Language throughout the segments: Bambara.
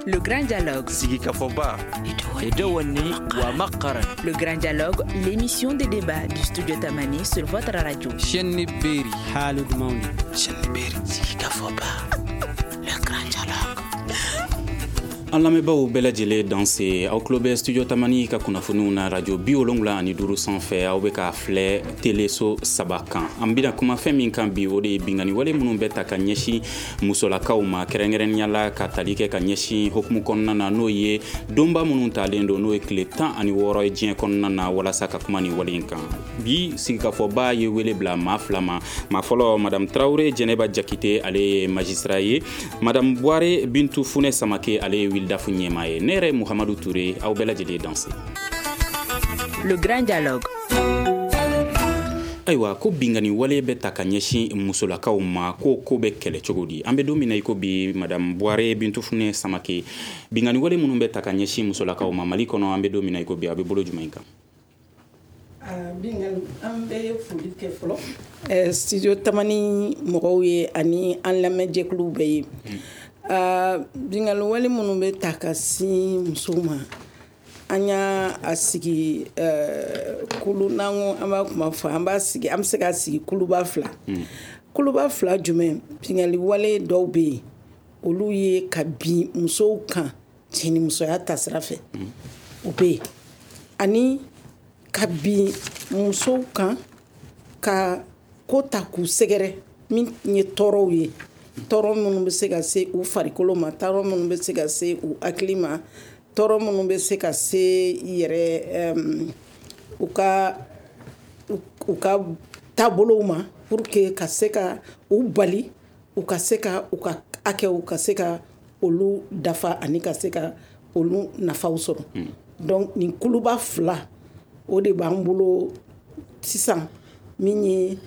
Le Grand Dialogue. Sigikafɔba. Le Grand Dialogue, l'émission de débat du studio Tamani sur votre radio. Chaîne Berry. Haalude mawni. Chaîne Berry. Sigikafɔba. Le Grand Dialogue. An lamɛnbaaw bɛɛ lajɛlen danse, aw tulo bɛ Studio Tamani ka kunnafoniw na radio 75 sanfɛ. Aw bɛ k'a filɛ teleso 3 kan. An bɛna kuma fɛn min kan bi, o de ye bingani wale minnu bɛ ta ka ɲɛsin musolakaw ma, kɛrɛnkɛrɛnnenya la ka tali kɛ ka ɲɛsin hokumu kɔnɔna na, n'o ye donba minnu talen don, n'o ye tile 16 ye diɲɛ kɔnɔna na, walasa ka kuma nin wale in kan. Bi sigikafɔba ye wele bila maa fila ma. Maa fɔlɔ, Madame Traoré Jɛnɛba Jakite, ale ye magistrat ye. Madame Buware Bintu Funɛ Samake, ale ye Wildafu ɲɛmaa ye. Ne yɛrɛ Muhamadu Ture, aw bɛɛ lajɛlen danse. Le Grand Dialogue. Ayiwa, ko bingani wale bɛ ta ka ɲɛsin musolakaw ma, ko bɛ kɛlɛ cogo di? An bɛ don min na i ko bi, Madame Buware Bintu Funɛ Samake, bingani wale minnu bɛ ta ka ɲɛsin musolakaw ma Mali kɔnɔ, an bɛ don min na i ko bi, a bɛ bolo jumɛn kan? Bingali, an bɛ foli kɛ fɔlɔ Studio Tamani mɔgɔw ye ani an lamɛnjɛkuluw bɛɛ ye. Bingali wale minnu bɛ ta ka sin musow ma, an y'a a sigi kulu, n'an ko an b'a kuma fɔ, an b'a sigi, an bɛ se k'a sigi kuluba fila. Kuluba fila jumɛn? Bingali wale dɔw bɛ yen, olu ye ka bin musow kan cɛnimusoya tasira fɛ, o bɛ yen, ani ka bin musow kan ka ko ta k'u sɛgɛrɛ, min ye tɔɔrɔw ye, tɔɔrɔ minnu bɛ se ka se u farikolo ma, tɔɔrɔ minnu bɛ se ka se u hakili ma, tɔɔrɔ minnu bɛ se ka se yɛrɛ u ka taabolow ma, pour que ka se ka u bali u ka se ka u ka hakɛw ka se ka olu dafa ani ka se ka olu nafaw sɔrɔ. Donc nin kuluba fila o de b'an bolo sisan, min ye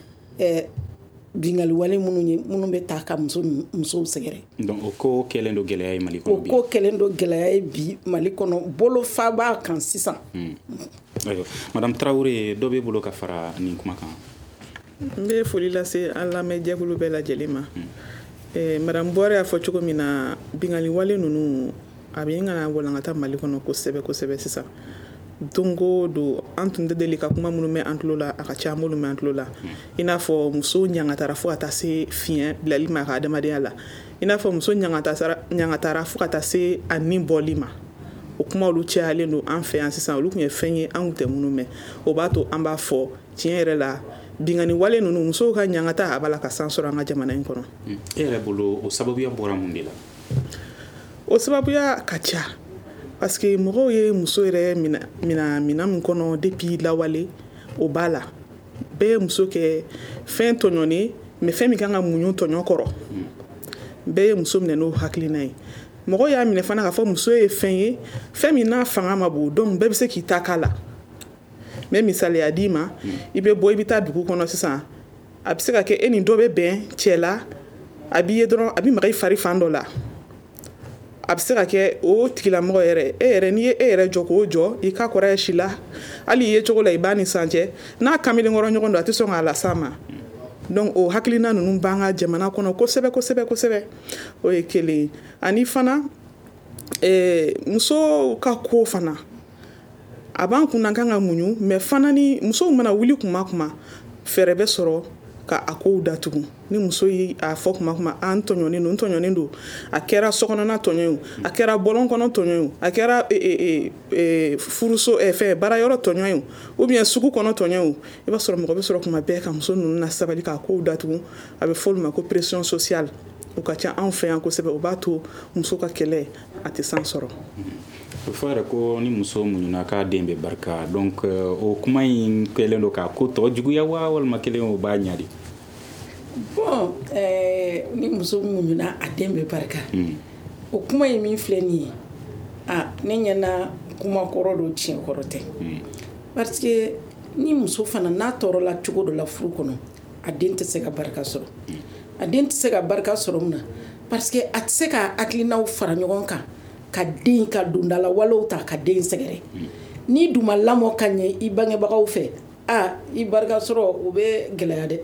bingali wale minnu ye, minnu bɛ taa ka musow sɛgɛrɛ. Donc o ko kɛlen don gɛlɛya ye Mali kɔnɔ bi. O ko kɛlen don gɛlɛya ye bi Mali kɔnɔ, bolofa b'a kan sisan. Ayiwa, Madame Traoré, dɔ b'e bolo ka fara nin kuma kan? N bɛ foli lase an lamɛnjɛkulu bɛɛ lajɛlen ma. Madame Buware y'a fɔ cogo min na, bingali wale ninnu a bɛ ɲini ka na walankata Mali kɔnɔ kosɛbɛ kosɛbɛ sisan. Don o don, an tun tɛ deli ka kuma minnu mɛn an tulo la, a ka ca an b'olu mɛn an tulo la. I n'a fɔ muso ɲangatara fo ka taa se fiɲɛ bilali ma a ka adamadenya la, i n'a fɔ muso ɲangatara fo ka taa se a ni bɔli ma. O kuma olu cayalen don an fɛ yan sisan. Olu tun ye fɛn ye an tun tɛ minnu mɛn. O b'a to an b'a fɔ tiɲɛ yɛrɛ la, bingani wale ninnu, musow ka ɲangata, a b'a la ka san sɔrɔ an ka jamana in kɔnɔ. E yɛrɛ bolo, o sababuya bɔra mun de la? O sababuya ka ca, parce que mɔgɔw ye muso yɛrɛ mina minɛn min kɔnɔ depuis lawale, o b'a la. Bɛɛ ye muso kɛ fɛn tɔɲɔnen, mais fɛn min kan ka muɲu tɔɲɔ kɔrɔ. Bɛɛ ye muso minɛ n'o hakilina ye. Mɔgɔw y'a minɛ fana k'a fɔ muso ye fɛn ye, fɛn min n'a fanga ma bon, donc bɛɛ bɛ se k'i ta k'a la. N bɛ misaliya d'i ma. I bɛ bɔ, i bɛ taa dugu kɔnɔ sisan, a bɛ se ka kɛ e ni dɔ bɛ bɛn cɛ la, a b'i ye dɔrɔn, a bɛ maga i fari fan dɔ la. A bɛ se ka kɛ o tigilamɔgɔ yɛrɛ, e yɛrɛ, n'i ye e yɛrɛ jɔ k'o jɔ, i ka kɔrɔ si la, hali i ye cogo la, i b'a ni san cɛ, n'a kamalenkɔrɔ ɲɔgɔn don, a tɛ sɔn k'a las'a ma. Donc o hakilina ninnu b'an ka jamana kɔnɔ kosɛbɛ kosɛbɛ kosɛbɛ. O ye kelen ye. Ani fana, musow ka ko fana a b'an kunna, kan ka muɲu, mais fana ni musow mana wuli kuma kuma, fɛɛrɛ bɛ sɔrɔ ka a kow datugu. Ni muso ye a fɔ kuma kuma, an tɔɲɔnen don, n tɔɲɔnen don, a kɛra sokɔnɔna tɔɲɔ ye o, a kɛra bɔlɔn kɔnɔ tɔɲɔ ye o, a kɛra furuso, fɛn baarayɔrɔ tɔɲɔ ye o, ou bien sugu kɔnɔ tɔɲɔ ye o, i b'a sɔrɔ mɔgɔ bɛ sɔrɔ kuma bɛɛ ka muso ninnu na sabali k'a kow datugu. A bɛ fɔ olu ma ko pression sociale. O ka ca anw fɛ yan kosɛbɛ. O b'a to muso ka kɛlɛ a tɛ san sɔrɔ. O fɔ yɛrɛ ko ni muso muɲuna k'a den bɛ barika. Donc o kuma in kɛlen don k'a ko tɔ juguya wa, walima kelen o b'a ɲa de? Bon, ni muso muɲuna a den bɛ barika, o kuma in min filɛ nin ye, ne ɲɛna kuma kɔrɔ don, tiɲɛ kɔrɔ tɛ. Parce que ni muso fana n'a tɔɔrɔla cogo dɔ la furu kɔnɔ, a den tɛ se ka barika sɔrɔ. A den tɛ se ka barika sɔrɔ mun na? Parce que a tɛ se ka hakilinaw fara ɲɔgɔn kan ka den ka dondala walew ta ka den sɛgɛrɛ. N'i dun ma lamɔ ka ɲɛ i bangebagaw fɛ, i barika sɔrɔ o bɛ gɛlɛya dɛ.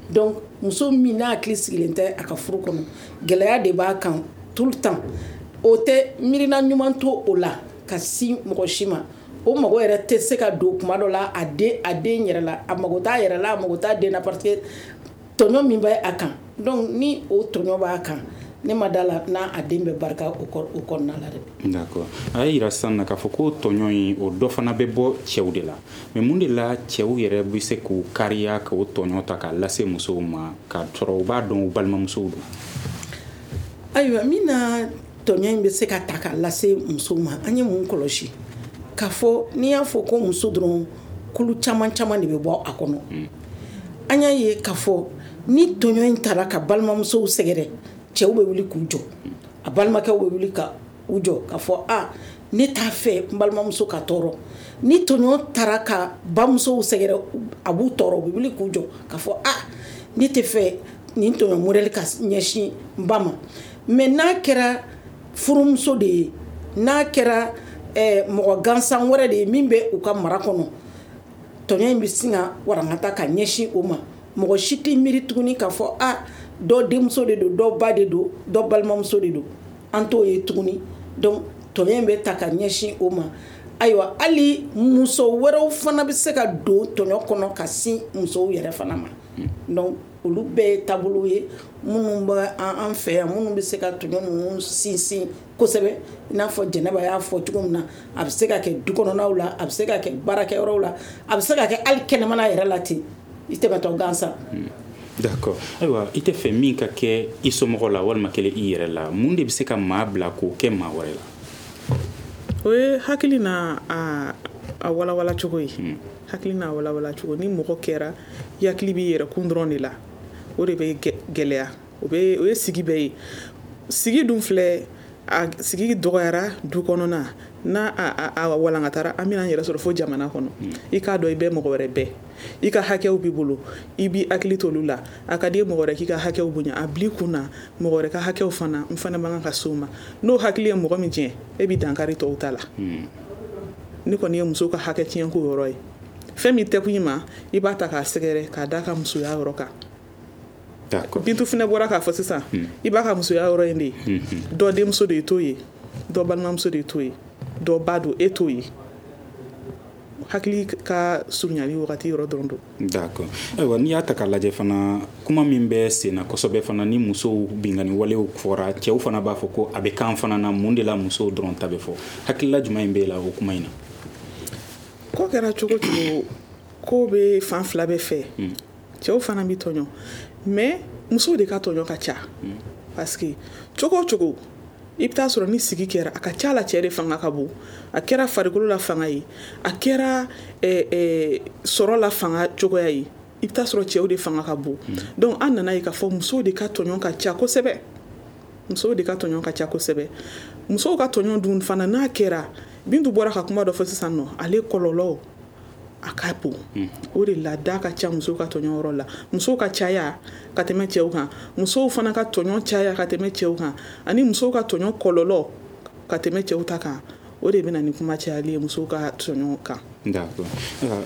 Donc muso min n'a hakili sigilen tɛ a ka furu kɔnɔ, gɛlɛya de b'a kan tout le temps. O tɛ miirina ɲuman to o la ka sin mɔgɔ si ma. O mago yɛrɛ tɛ se ka don kuma dɔ la a den yɛrɛ la, a mago t'a yɛrɛ la, a mago t'a den na, parce que tɔɲɔ min bɛ a kan. Donc ni o tɔɲɔ b'a kan, ne ma da la n'a a den bɛ barika o kɔnɔna la dɛ. D'accord. A y'a yira sisan na k'a fɔ ko tɔɲɔ in, o dɔ fana bɛ bɔ cɛw de la. Mais mun de la cɛw yɛrɛ bɛ se k'u kariya k'o tɔɲɔ ta k'a lase musow ma, k'a sɔrɔ u b'a dɔn u balimamusow don? Ayiwa, min na tɔɲɔ in bɛ se ka ta k'a lase musow ma, an ye mun kɔlɔsi? K'a fɔ n'i y'a fɔ ko muso dɔrɔn, kulu caman caman de bɛ bɔ a kɔnɔ. An y'a ye k'a fɔ ni tɔɲɔ in taara ka balimamusow sɛgɛrɛ, cɛw bɛ wuli k'u jɔ, a balimakɛw bɛ wuli ka u jɔ k'a fɔ a ne t'a fɛ n balimamuso ka tɔɔrɔ. Ni tɔɲɔ taara ka bamusow sɛgɛrɛ, a b'u tɔɔrɔ, u bɛ wuli k'u jɔ k'a fɔ a ne tɛ fɛ nin tɔɲɔ modèle ka ɲɛsin n ba ma. Mais n'a kɛra furumuso de ye, n'a kɛra mɔgɔ gansan wɛrɛ de ye min bɛ u ka mara kɔnɔ, tɔɲɔ in bɛ sin ka warankata ka ɲɛsin o ma. Mɔgɔ si tɛ miiri tuguni k'a fɔ a dɔ denmuso de don, dɔ ba de don, dɔ balimamuso de don, an t'o ye tuguni. Donc tɔɲɔ in bɛ ta ka ɲɛsin o ma. Ayiwa, hali muso wɛrɛw fana bɛ se ka don tɔɲɔ kɔnɔ ka sin musow yɛrɛ fana ma. Donc olu bɛɛ ye taabolo ye minnu bɛ an fɛ yan, minnu bɛ se ka tɔɲɔ ninnu sinsin kosɛbɛ. I n'a fɔ Jɛnɛba y'a fɔ cogo min na, a bɛ se ka kɛ du kɔnɔnaw la, a bɛ se ka kɛ baarakɛyɔrɔw la, a bɛ se ka kɛ hali kɛnɛmana yɛrɛ la ten, i tɛmɛtɔ gansan. D'accord. Ayiwa, i tɛ fɛ min ka kɛ i somɔgɔ la walima kɛlen i yɛrɛ la, mun de bɛ se ka maa bila k'o kɛ maa wɛrɛ la? O ye hakili n'a a walawala cogo ye. Hakili n'a walawala cogo. Ni mɔgɔ kɛra i hakili b'i yɛrɛ kun dɔrɔn de la, o de bɛ gɛlɛya. O ye sigi bɛɛ ye. Sigi dun filɛ, a sigi dɔgɔyara du kɔnɔna n'a a walankatara, an bɛna an yɛrɛ sɔrɔ fo jamana kɔnɔ. I k'a dɔn i bɛ mɔgɔ wɛrɛ bɛɛ, i ka hakɛw b'i bolo, i b'i hakili t'olu la. A ka di mɔgɔ wɛrɛ k'i ka hakɛw bonya, a bil'i kun na mɔgɔ wɛrɛ ka hakɛw fana n fana man kan ka s'o ma. N'o hakili ye mɔgɔ min jɛ, e b'i dankari tɔw ta la. Ne kɔni ye muso ka hakɛ tiɲɛ ko yɔrɔ ye. Fɛn min tɛ kun i ma, i b'a ta k'a sɛgɛrɛ k'a d'a ka musoya yɔrɔ kan. Bintu fana bɔra k'a fɔ sisan, i b'a ka musoya yɔrɔ in de ye. Dɔ denmuso de ye t'o ye, dɔ balimamuso de ye t'o ye, dɔ ba don, e t'o ye. Hakili ka surunyali wagati yɔrɔ dɔrɔn don. D'accord. Ayiwa, n'i y'a ta k'a lajɛ fana, kuma min bɛ sen na kosɛbɛ fana, ni musow binkanni walew fɔra, cɛw fana b'a fɔ ko a bɛ kan fana na, mun de la musow dɔrɔn ta bɛ fɔ? Hakilila jumɛn b'e la o kuma in na? Ko kɛra cogo cogo, ko bɛ fan fila bɛɛ fɛ. Cɛw fana bɛ tɔɲɔ, mais musow de ka tɔɲɔ ka ca. Parce que cogo o cogo, i bɛ taa sɔrɔ ni sigi kɛra, a ka ca la cɛ de fanga ka bon. A kɛra farikolo la fanga ye, a kɛra sɔrɔ la fanga cogoya ye, i bɛ taa sɔrɔ cɛw de fanga ka bon. Donc an nana ye k'a fɔ musow de ka tɔɲɔ ka ca kosɛbɛ. Musow de ka tɔɲɔ ka ca kosɛbɛ. Musow ka tɔɲɔ dun fana n'a kɛra, Bintu bɔra ka kuma dɔ fɔ sisan nɔ, ale kɔlɔlɔ a ka bon. O de la da ka ca musow ka tɔɲɔ yɔrɔ la. Musow ka caya ka tɛmɛ cɛw kan, musow fana ka tɔɲɔ caya ka tɛmɛ cɛw kan, ani musow ka tɔɲɔ kɔlɔlɔ ka tɛmɛ cɛw ta kan. O de bɛna ni kuma cayali ye musow ka tɔɲɔ kan. D'accord.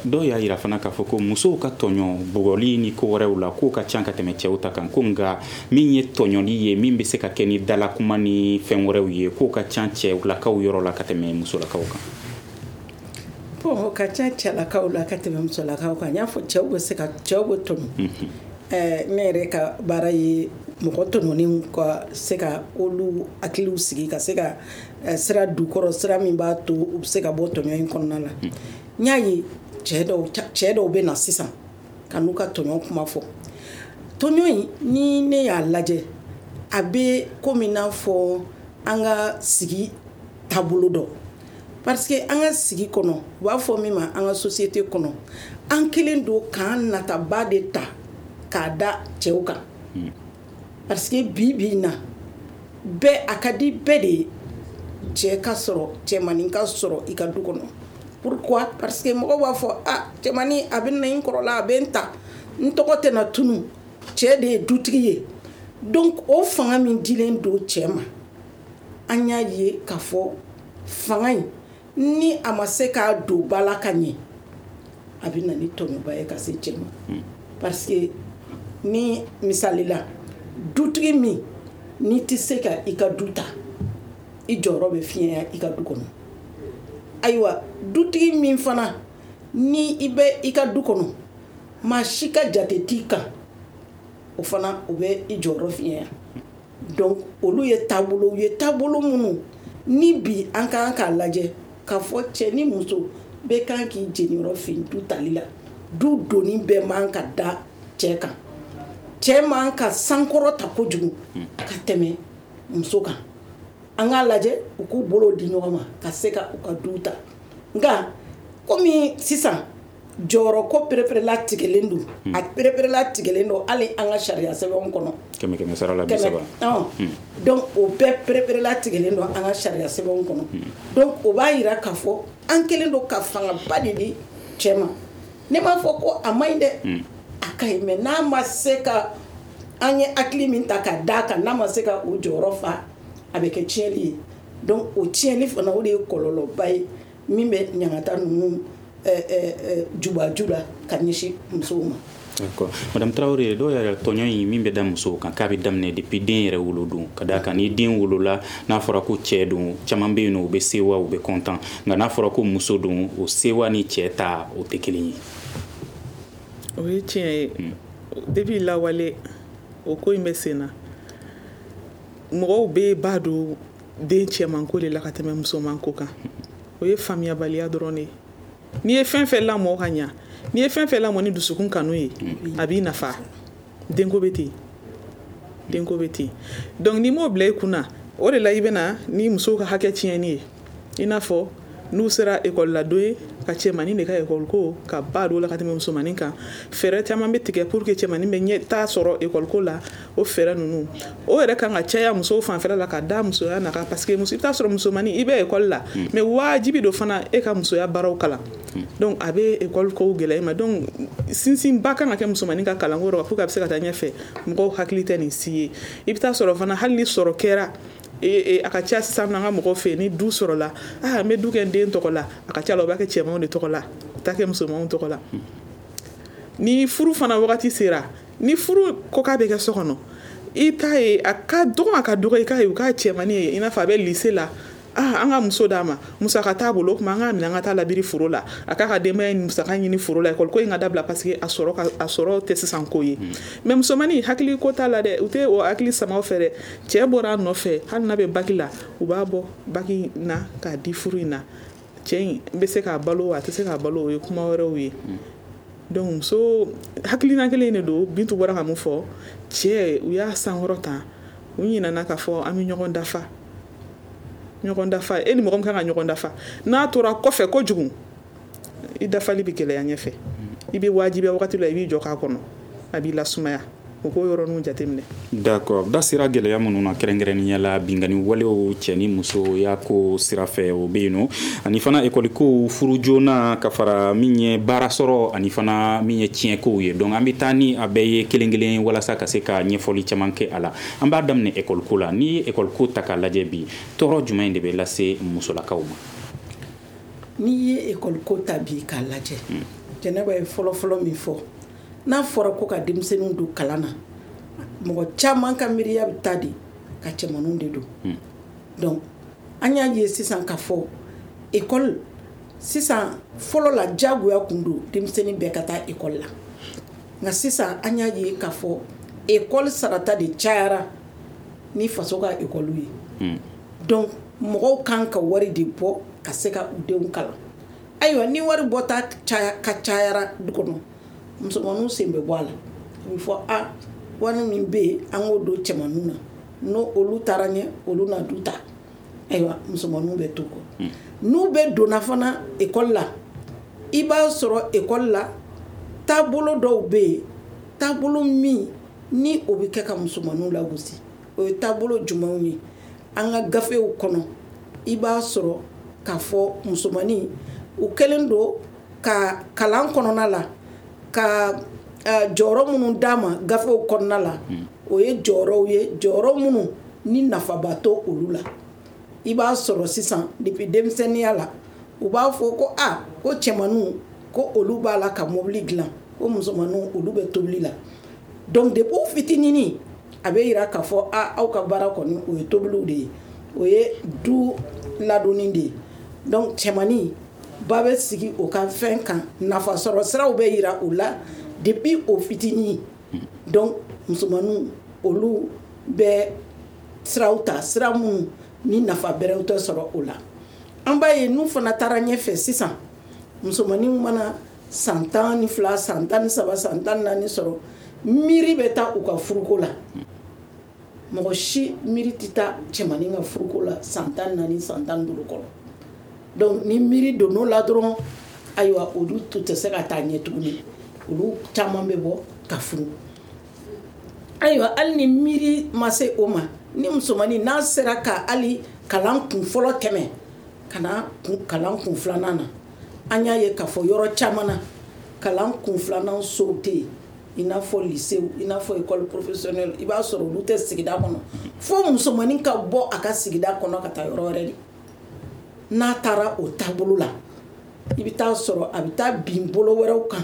Dɔw y'a yira fana k'a fɔ ko musow ka tɔɲɔ bugɔli ni ko wɛrɛw la, k'o ka ca ka tɛmɛ cɛw ta kan, ko nka min ye tɔɲɔli ye, min bɛ se ka kɛ ni dalakuma ni fɛn wɛrɛw ye, k'o ka ca cɛlakaw yɔrɔ la ka tɛmɛ musolakaw kan. Bon, o ka ca cɛlakaw la ka tɛmɛ musolakaw kan. N y'a fɔ cɛw bɛ se ka, cɛw bɛ tɔɲɔ. Ne yɛrɛ ka baara ye mɔgɔ tɔɲɔnen ka se ka olu hakiliw sigi, ka se ka sira du kɔrɔ, sira min b'a to u bɛ se ka bɔ tɔɲɔ in kɔnɔna la. N y'a ye cɛ dɔw bɛ na sisan ka n'u ka tɔɲɔ kuma fɔ. Tɔɲɔ in, ni ne y'a lajɛ, a bɛ komi n'a fɔ an ka sigi taabolo dɔ. Parce que an ka sigi kɔnɔ, u b'a fɔ min ma an ka société kɔnɔ, an kelen don k'an nataba de ta k'a da cɛw kan. Parce que bi bi in na, bɛɛ a ka di bɛɛ de ye cɛ ka sɔrɔ, cɛmanin ka sɔrɔ i ka du kɔnɔ. Pourquoi? Parce que mɔgɔw b'a fɔ a cɛmanin a bɛ na n kɔrɔla, a bɛ n ta, n tɔgɔ tɛna tunu, cɛ de ye dutigi ye. Donc o fanga min dilen don cɛ ma, an y'a ye k'a fɔ fanga in ni a ma se k'a don ba la ka ɲɛ, a bɛ na ni tɔɲɔba ye ka se cɛ ma. Parce que ni misali la, dutigi min n'i tɛ se ka i ka du ta, I jɔyɔrɔ bɛ fiɲɛya i ka du kɔnɔ. Ayiwa, dutigi min fana ni i bɛ i ka du kɔnɔ, maa si ka jate t'i kan, o fana o bɛ i jɔyɔrɔ fiɲɛya. Donc olu ye taabolo ye, taabolo minnu ni bi an ka kan k'a lajɛ k'a fɔ cɛ ni muso bɛɛ kan k'i jeniyɔrɔ fin du tali la. Du doni bɛɛ man ka da cɛ kan. Cɛ man ka sankɔrɔ ta kojugu ka tɛmɛ muso kan. An k'a lajɛ u k'u bolo di ɲɔgɔn ma ka se ka u ka du ta. Nka komi sisan jɔyɔrɔ ko pereperela tigɛlen don, a pereperela tigɛlen don hali an ka sariya sɛbɛnw kɔnɔ. 100 sara la 30. Donc o bɛɛ pereperela tigɛlen don an ka sariya sɛbɛnw kɔnɔ. Donc o b'a yira k'a fɔ an kɛlen don ka fangaba de di cɛ ma. Ne m'a fɔ ko a man ɲi dɛ, a ka ɲi, mais n'a ma se ka an ye hakili min ta ka d'a kan, n'a ma se ka o jɔyɔrɔ fa, a bɛ kɛ tiɲɛli ye. Donc o tiɲɛli fana, o de ye kɔlɔlɔba ye min bɛ ɲangata ninnu jubaju la ka ɲɛsin musow ma. D'accord. Madame Traoré, dɔw yɛrɛ tɔɲɔ in min bɛ da musow kan, k'a bɛ daminɛ depuis den yɛrɛ wolodon, ka d'a kan ni den wolola, n'a fɔra ko cɛ don, caman bɛ yen nɔ, u bɛ sewa, u bɛ content, nka n'a fɔra ko muso don, o sewa ni cɛ ta o tɛ kelen ye. O ye tiɲɛ ye. Depuis lawale, o ko in bɛ sen na. Mɔgɔw bɛ ba don den cɛmanko de la ka tɛmɛ musomanko kan. O ye faamuyabaliya dɔrɔn de ye. N'i ye fɛn fɛn lamɔ ka ɲa, n'i ye fɛn fɛn lamɔ ni dusukun kanu ye, a b'i nafa. Denko bɛ ten, denko bɛ ten. Donc n'i m'o bila i kunna, o de la i bɛna ni musow ka hakɛ tiɲɛni ye. I n'a fɔ n'u sera ekɔli la don ye, ka cɛmanin de ka ekɔli ko ka ba don la ka tɛmɛ musomanin kan. Fɛɛrɛ caman bɛ tigɛ pour que cɛmanin bɛ ɲɛ taa sɔrɔ ekɔli ko la. O fɛɛrɛ ninnu, o yɛrɛ kan ka caya musow fanfɛla la ka da musoya na kan, parce que muso, i bɛ taa sɔrɔ musomanin i bɛ ekɔli la, mais wajibi don fana e ka musoya baaraw kalan. Donc a bɛ ekɔli kow gɛlɛya i ma. Donc sinsinba kan ka kɛ musomanin ka kalanko yɔrɔ pour que a bɛ se ka taa ɲɛfɛ. Mɔgɔw hakili tɛ nin si ye. I bɛ taa sɔrɔ fana, hali ni sɔrɔ kɛra, a ka ca sisan an ka mɔgɔw fɛ, ni du sɔrɔla, ah, n bɛ du kɛ n den tɔgɔ la, a ka ca la, o b'a kɛ cɛmanw de tɔgɔ la, o t'a kɛ musomanw tɔgɔ la. Ni furu fana wagati sera, ni furu ko k'a bɛ kɛ so kɔnɔ, i t'a ye, a ka dɔgɔ, a ka dɔgɔ i k'a ye u k'a cɛmannin ye, i n'a fɔ a bɛ lycée la, ah, an ka muso d'a ma, musaka t'a bolo, o tuma an k'a minɛ an ka taa labiri foro la, a k'a ka denbaya in musaka ɲini foro la, ekɔli ko in ka dabila, parce que a sɔrɔ ka a sɔrɔ tɛ sisan ko ye. Mais musomannin, hakili ko t'a la dɛ, u tɛ o hakili sama fɛ dɛ. Cɛ bɔra a nɔfɛ, hali n'a bɛ bac la, u b'a bɔ bac na k'a di furu in na. Cɛ in bɛ se k'a balo wa a tɛ se k'a balo, o ye kuma wɛrɛw ye. Donc muso hakilina kelen de don. Bintu bɔra ka mun fɔ, cɛ u y'a sankɔrɔ ta, u ɲinɛna k'a fɔ an bɛ ɲɔgɔn dafa, ɲɔgɔn dafa. E ni mɔgɔ min kan ka ɲɔgɔn dafa, n'a tora kɔfɛ kojugu, i dafali bɛ gɛlɛya ɲɛfɛ. I bɛ wajibiya wagati la, i b'i jɔ k'a kɔnɔ, a b'i lasumaya. O k'o yɔrɔninw jateminɛ. D'accord. Da sera gɛlɛya minnu na, kɛrɛnkɛrɛnnenya la binkanni walew cɛ ni muso y'a ko sira fɛ, o bɛ yen nɔ, ani fana ekɔli kow, furu joona, ka fara min ye baara sɔrɔ, ani fana min ye tiɲɛkow ye. Donc an bɛ taa ni a bɛɛ ye kelen kelen walasa ka se ka ɲɛfɔli caman kɛ a la. An b'a daminɛ ekɔli ko la. N'i ye ekɔli ko ta k'a lajɛ bi, tɔɔrɔ jumɛn de bɛ lase musolakaw ma? N'i ye ekɔli ko ta bi k'a lajɛ, Jɛnɛba ye fɔlɔfɔlɔ min fɔ, n'a fɔra ko ka denmisɛnninw don kalan na, mɔgɔ caman ka miiriya bɛ taa de ka cɛmaninw de don. Donc an y'a ye sisan k'a fɔ ekɔli sisan, fɔlɔ la diyagoya kun don denmisɛnnin bɛɛ ka taa ekɔli la, nka sisan an y'a ye k'a fɔ ekɔli sarata de cayara ni faso ka ekɔliw ye. Donc mɔgɔw kan ka wari de bɔ ka se ka u denw kalan. Ayiwa, ni wari bɔta ka cayara du kɔnɔ, musomaninw sen bɛ bɔ a la. A bɛ fɔ a wari min bɛ yen, an k'o don cɛmaninw na, n'o olu taara ɲɛ, olu na du ta. Ayiwa, musomaninw bɛ to kɔ. N'u bɛ donna fana ekɔli la, i b'a sɔrɔ ekɔli la taabolo dɔw bɛ yen, taabolo min ni o bɛ kɛ ka musomaninw lagosi. O ye taabolo jumɛnw ye? An ka gafew kɔnɔ, i b'a sɔrɔ k'a fɔ musomanin u kɛlen don ka kalan kɔnɔna la ka jɔyɔrɔ minnu d'a ma gafew kɔnɔna la, o ye jɔyɔrɔw ye, jɔyɔrɔ minnu ni nafaba to olu la. I b'a sɔrɔ sisan depuis denmisɛnninya la, u b'a fɔ ko a ko cɛmaninw ko olu b'a la ka mobili dilan, ko musomaninw olu bɛ tobili la. Donc depuis u fitininin, a bɛ yira k'a fɔ a aw ka baara kɔni o ye tobiliw de ye. O ye du ladonni de ye. Donc cɛmannin ba bɛ sigi o ka fɛn kan, nafasɔrɔ siraw bɛ yira u la depuis o fitinin. Donc musomaninw, olu bɛ siraw ta, sira minnu ni nafa bɛrɛw tɛ sɔrɔ o la. An b'a ye, n'u fana taara ɲɛfɛ sisan, musomaninw mana san 12, san 13, san 14 sɔrɔ, miiri bɛ taa u ka furuko la. Mɔgɔ si miiri tɛ taa cɛmannin ka furuko la san 14, san 15 kɔnɔ. Donc ni miiri donn'o la dɔrɔn, ayiwa, olu tun tɛ se ka taa ɲɛ tuguni, olu caman bɛ bɔ ka furu. Ayiwa, hali ni miiri ma se o ma, ni musomannin n'a sera ka hali kalan kun fɔlɔ tɛmɛ ka na kalan kun filanan na, an y'a ye k'a fɔ yɔrɔ caman na, kalan kun filanan sow tɛ yen, i n'a fɔ lycée, i n'a fɔ école professionnelle. I b'a sɔrɔ olu tɛ sigida kɔnɔ, fo musomannin ka bɔ a ka sigida kɔnɔ ka taa yɔrɔ wɛrɛ de. N'a taara o taabolo la, i bɛ taa sɔrɔ a bɛ taa bin bolo wɛrɛw kan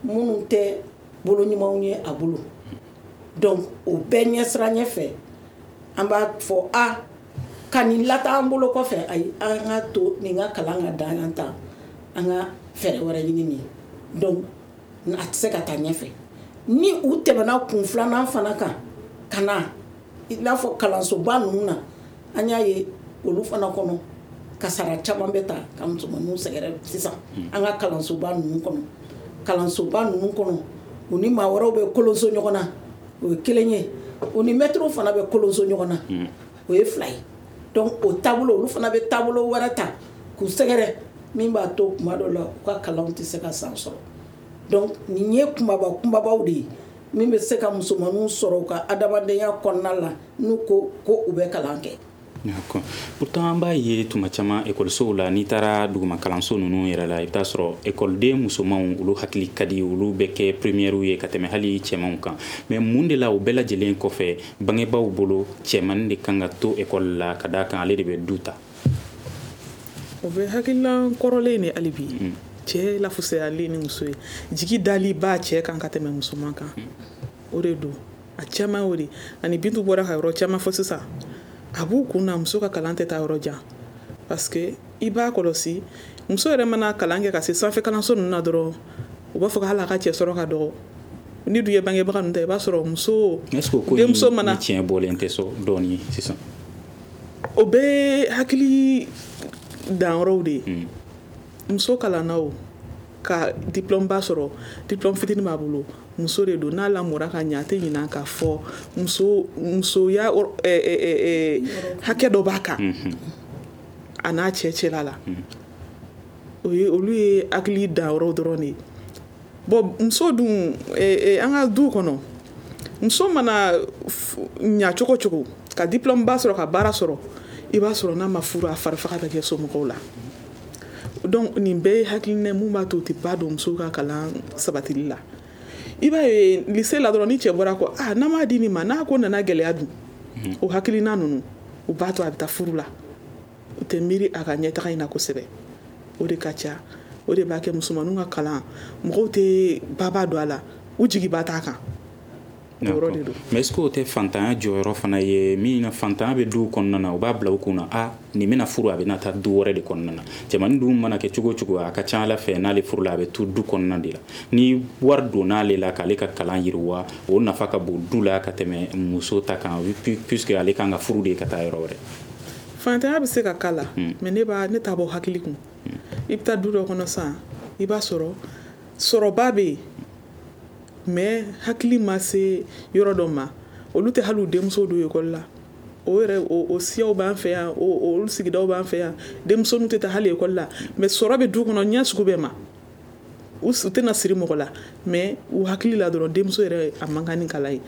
minnu tɛ bolo ɲumanw ye a bolo. Donc o bɛɛ ɲɛsira ɲɛfɛ, an b'a fɔ a ka nin lata an bolo kɔfɛ. Ayi, an ka to nin ka kalan ka dan yan ta, an ka fɛɛrɛ wɛrɛ ɲini nin. Donc a tɛ se ka taa ɲɛfɛ. Ni u tɛmɛna kun filanan fana kan ka na, i n'a fɔ kalansoba ninnu na, an y'a ye olu fana kɔnɔ, kasara caman bɛ ta ka musomaninw sɛgɛrɛ sisan. An ka kalansoba ninnu kɔnɔ, kalansoba ninnu kɔnɔ, u ni maa wɛrɛw bɛ kolonso ɲɔgɔn na, o ye kelen ye. U ni mɛtiriw fana bɛ kolonso ɲɔgɔn na, o ye fila ye. Donc o taabolo, olu fana bɛ taabolo wɛrɛ ta k'u sɛgɛrɛ min b'a to kuma dɔ la u ka kalanw tɛ se ka san sɔrɔ. Donc nin ye kumaba kunbabaw de ye min bɛ se ka musomaninw sɔrɔ u ka adamadenya kɔnɔna la, n'u ko ko u bɛ kalan kɛ. D'accord. Pourtant an b'a ye tuma caman ekɔlisow la, n'i taara duguma kalanso ninnu yɛrɛ la, i bɛ taa sɔrɔ ekɔliden musomanw, olu hakili ka di, olu bɛ kɛ première ye ka tɛmɛ hali cɛmanw kan. Mais mun de la, o bɛɛ lajɛlen kɔfɛ, bangebaaw bolo, cɛmannin de kan ka to ekɔli la, ka d'a kan ale de bɛ du ta? O bɛ hakilina kɔrɔlen de hali bi. Cɛ lafusayalen ni muso ye, jigi dali b'a cɛ kan ka tɛmɛ musoman kan, o de don. A caman y'o de. Ani Bintu bɔra ka yɔrɔ caman fɔ sisan, a b'u kun na muso ka kalan tɛ taa yɔrɔ jan, parce que i b'a kɔlɔsi, muso yɛrɛ mana kalan kɛ ka se sanfɛ kalanso ninnu na dɔrɔn, u b'a fɔ ko hali a ka cɛ sɔrɔ ka dɔgɔ. Ni dun ye bangebaga ninnu ta, i b'a sɔrɔ muso Est-ce que o ko denmuso mana tiɲɛ bɔlen tɛ so dɔɔni sisan? O bɛɛ hakili danyɔrɔw de ye. Muso kalanna, o ka diplôme ba sɔrɔ, diplôme fitinin b'a bolo, muso de don. N'a lamɔra ka ɲɛ, a tɛ ɲinɛ k'a fɔ muso musoya hakɛ dɔ b'a kan a n'a cɛ cɛla la. O ye olu ye hakili danyɔrɔw dɔrɔn de ye. Bon, muso dun, an ka du kɔnɔ, muso mana ɲa cogo cogo, ka diplôme ba sɔrɔ, ka baara sɔrɔ, i b'a sɔrɔ n'a ma furu, a farifaga bɛ kɛ somɔgɔw la. Donc nin bɛɛ ye hakilina mun b'a to u tɛ ba don musow ka kalan sabatili la. I b'a ye lycée la dɔrɔn, ni cɛ bɔra ko ah, n'an m'a di nin ma, n'a ko nana gɛlɛya dun, o hakilina ninnu, u b'a to a bɛ taa furu la. U tɛ miiri a ka ɲɛtaga in na kosɛbɛ. O de ka ca, o de b'a kɛ musomaninw ka kalan, mɔgɔw tɛ baba don a la, u jigi ba t'a kan. O yɔrɔ de don. Mais est-ce que o tɛ fantanya jɔyɔrɔ fana ye min na? Fantanya bɛ duw kɔnɔna na, u b'a bila u kunna a nin bɛna furu, a bɛna taa du wɛrɛ de kɔnɔna na. Cɛmannin dun mana kɛ cogo o cogo, a ka ca ala fɛ n'ale furula, a bɛ to du kɔnɔna de la. Ni wari donn'ale la k'ale ka kalan yiriwa, o nafa ka bon du la ka tɛmɛ muso ta kan, puisque ale kan ka furu de ka taa yɔrɔ wɛrɛ. Fantanya bɛ se ka k'a la, mais ne b'a ne t'a bɔ hakili kun. I bɛ taa du dɔ kɔnɔ sisan, i b'a sɔrɔ sɔrɔba bɛ yen, mais hakili ma se yɔrɔ dɔ ma, olu tɛ hali u denmuso don ekɔli la. O yɛrɛ, o siyaw b'an fɛ yan, olu sigidaw b'an fɛ yan, denmisɛnninw tɛ taa hali ekɔli la, mais sɔrɔ bɛ du kɔnɔ ɲɛ sugu bɛɛ ma. U tɛna siri mɔgɔ la, mais u hakili la dɔrɔn, denmuso yɛrɛ a man kan ni kalan ye,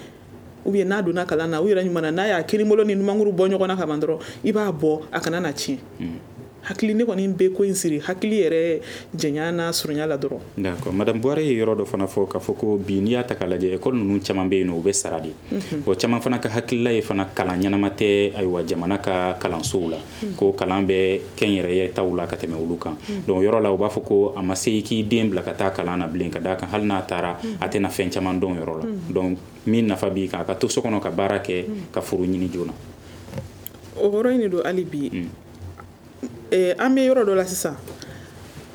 ou bien n'a donna kalan na, u yɛrɛ ɲuman na, n'a y'a kinibolo ni numankuru bɔ ɲɔgɔn na ka ban dɔrɔn, i b'a bɔ a kana na tiɲɛ. Hakili, ne kɔni bɛ ko in siri hakili yɛrɛ janya n'a surunya la dɔrɔn. D'accord. Madame Buware ye yɔrɔ dɔ fana fɔ k'a fɔ ko bi, n'i y'a ta k'a lajɛ, école ninnu caman bɛ yen nɔ, u bɛ sara de. Bon, caman fana ka hakilila ye fana, kalan ɲɛnama tɛ ayiwa jamana ka kalansow la, ko kalan bɛ kɛnyɛrɛye taw la ka tɛmɛ olu kan. Donc yɔrɔ la, u b'a fɔ ko a ma se i k'i den bila ka taa kalan na bilen, ka d'a kan hali n'a taara, a tɛna fɛn caman dɔn yɔrɔ la. Donc min nafa b'i kan, a ka to so kɔnɔ ka baara kɛ, ka furu ɲini joona. O yɔrɔ in de don hali bi. An bɛ yɔrɔ dɔ la sisan,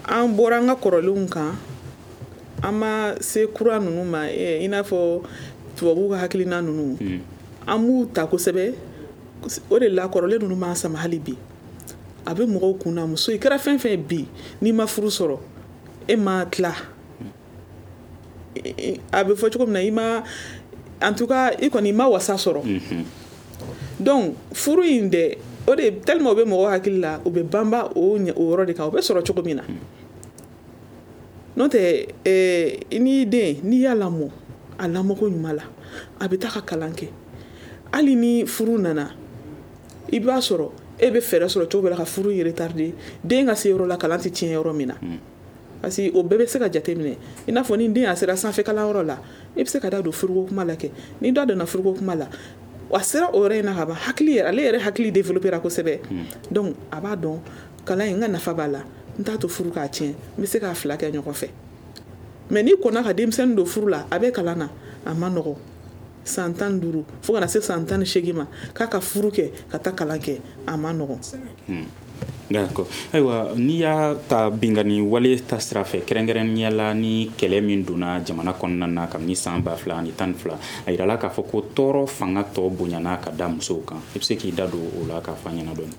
an bɔra an ka kɔrɔlenw kan, an ma se kura ninnu ma, i n'a fɔ tubabuw ka hakilina ninnu, an b'u ta kosɛbɛ. O de la kɔrɔlen ninnu b'an sama hali bi. A bɛ mɔgɔw kun na, muso i kɛra fɛn fɛn bi, n'i ma furu sɔrɔ, e ma tila, a bɛ fɔ cogo min na, i ma, en tout cas i kɔni i ma wasa sɔrɔ. Donc furu in dɛ, o de tellement o bɛ mɔgɔw hakili la, u bɛ banba o yɔrɔ de kan, o bɛ sɔrɔ cogo min na. N'o tɛ, n'i den, n'i y'a lamɔ a lamɔko ɲuman la, a bɛ taa ka kalan kɛ. Hali ni furu nana, i b'a sɔrɔ e bɛ fɛɛrɛ sɔrɔ cogo bɛɛ la ka furu in retarder, den ka se yɔrɔ la, kalan tɛ tiɲɛ yɔrɔ min na. Parce que o bɛɛ bɛ se ka jateminɛ. I n'a fɔ ni den a sera sanfɛ kalanyɔrɔ la, i bɛ se ka da don furuko kuma la kɛ. Ni da donna furuko kuma la, a sera o yɔrɔ in na ka ban, hakili yɛrɛ, ale yɛrɛ hakili développera kosɛbɛ. Donc a b'a dɔn kalan in, n ka nafa b'a la, n t'a to furu k'a tiɲɛ, n bɛ se k'a fila kɛ ɲɔgɔn fɛ. Mais n'i kɔnna ka denmisɛnnin don furu la, a bɛ kalan na, a ma nɔgɔn, san 15 fo ka na se san 18 ma, k'a ka furu kɛ ka taa kalan kɛ, a ma nɔgɔn. D'accord. Ayiwa, n'i y'a ta binkanni wale ta sira fɛ, kɛrɛnkɛrɛnnenya la ni kɛlɛ min donna jamana kɔnɔna na kabini san 2012, a yirala k'a fɔ ko tɔɔrɔ fanga tɔ bonyana ka da musow kan. I bɛ se k'i da don o la k'a fɔ an ɲɛna dɔɔni?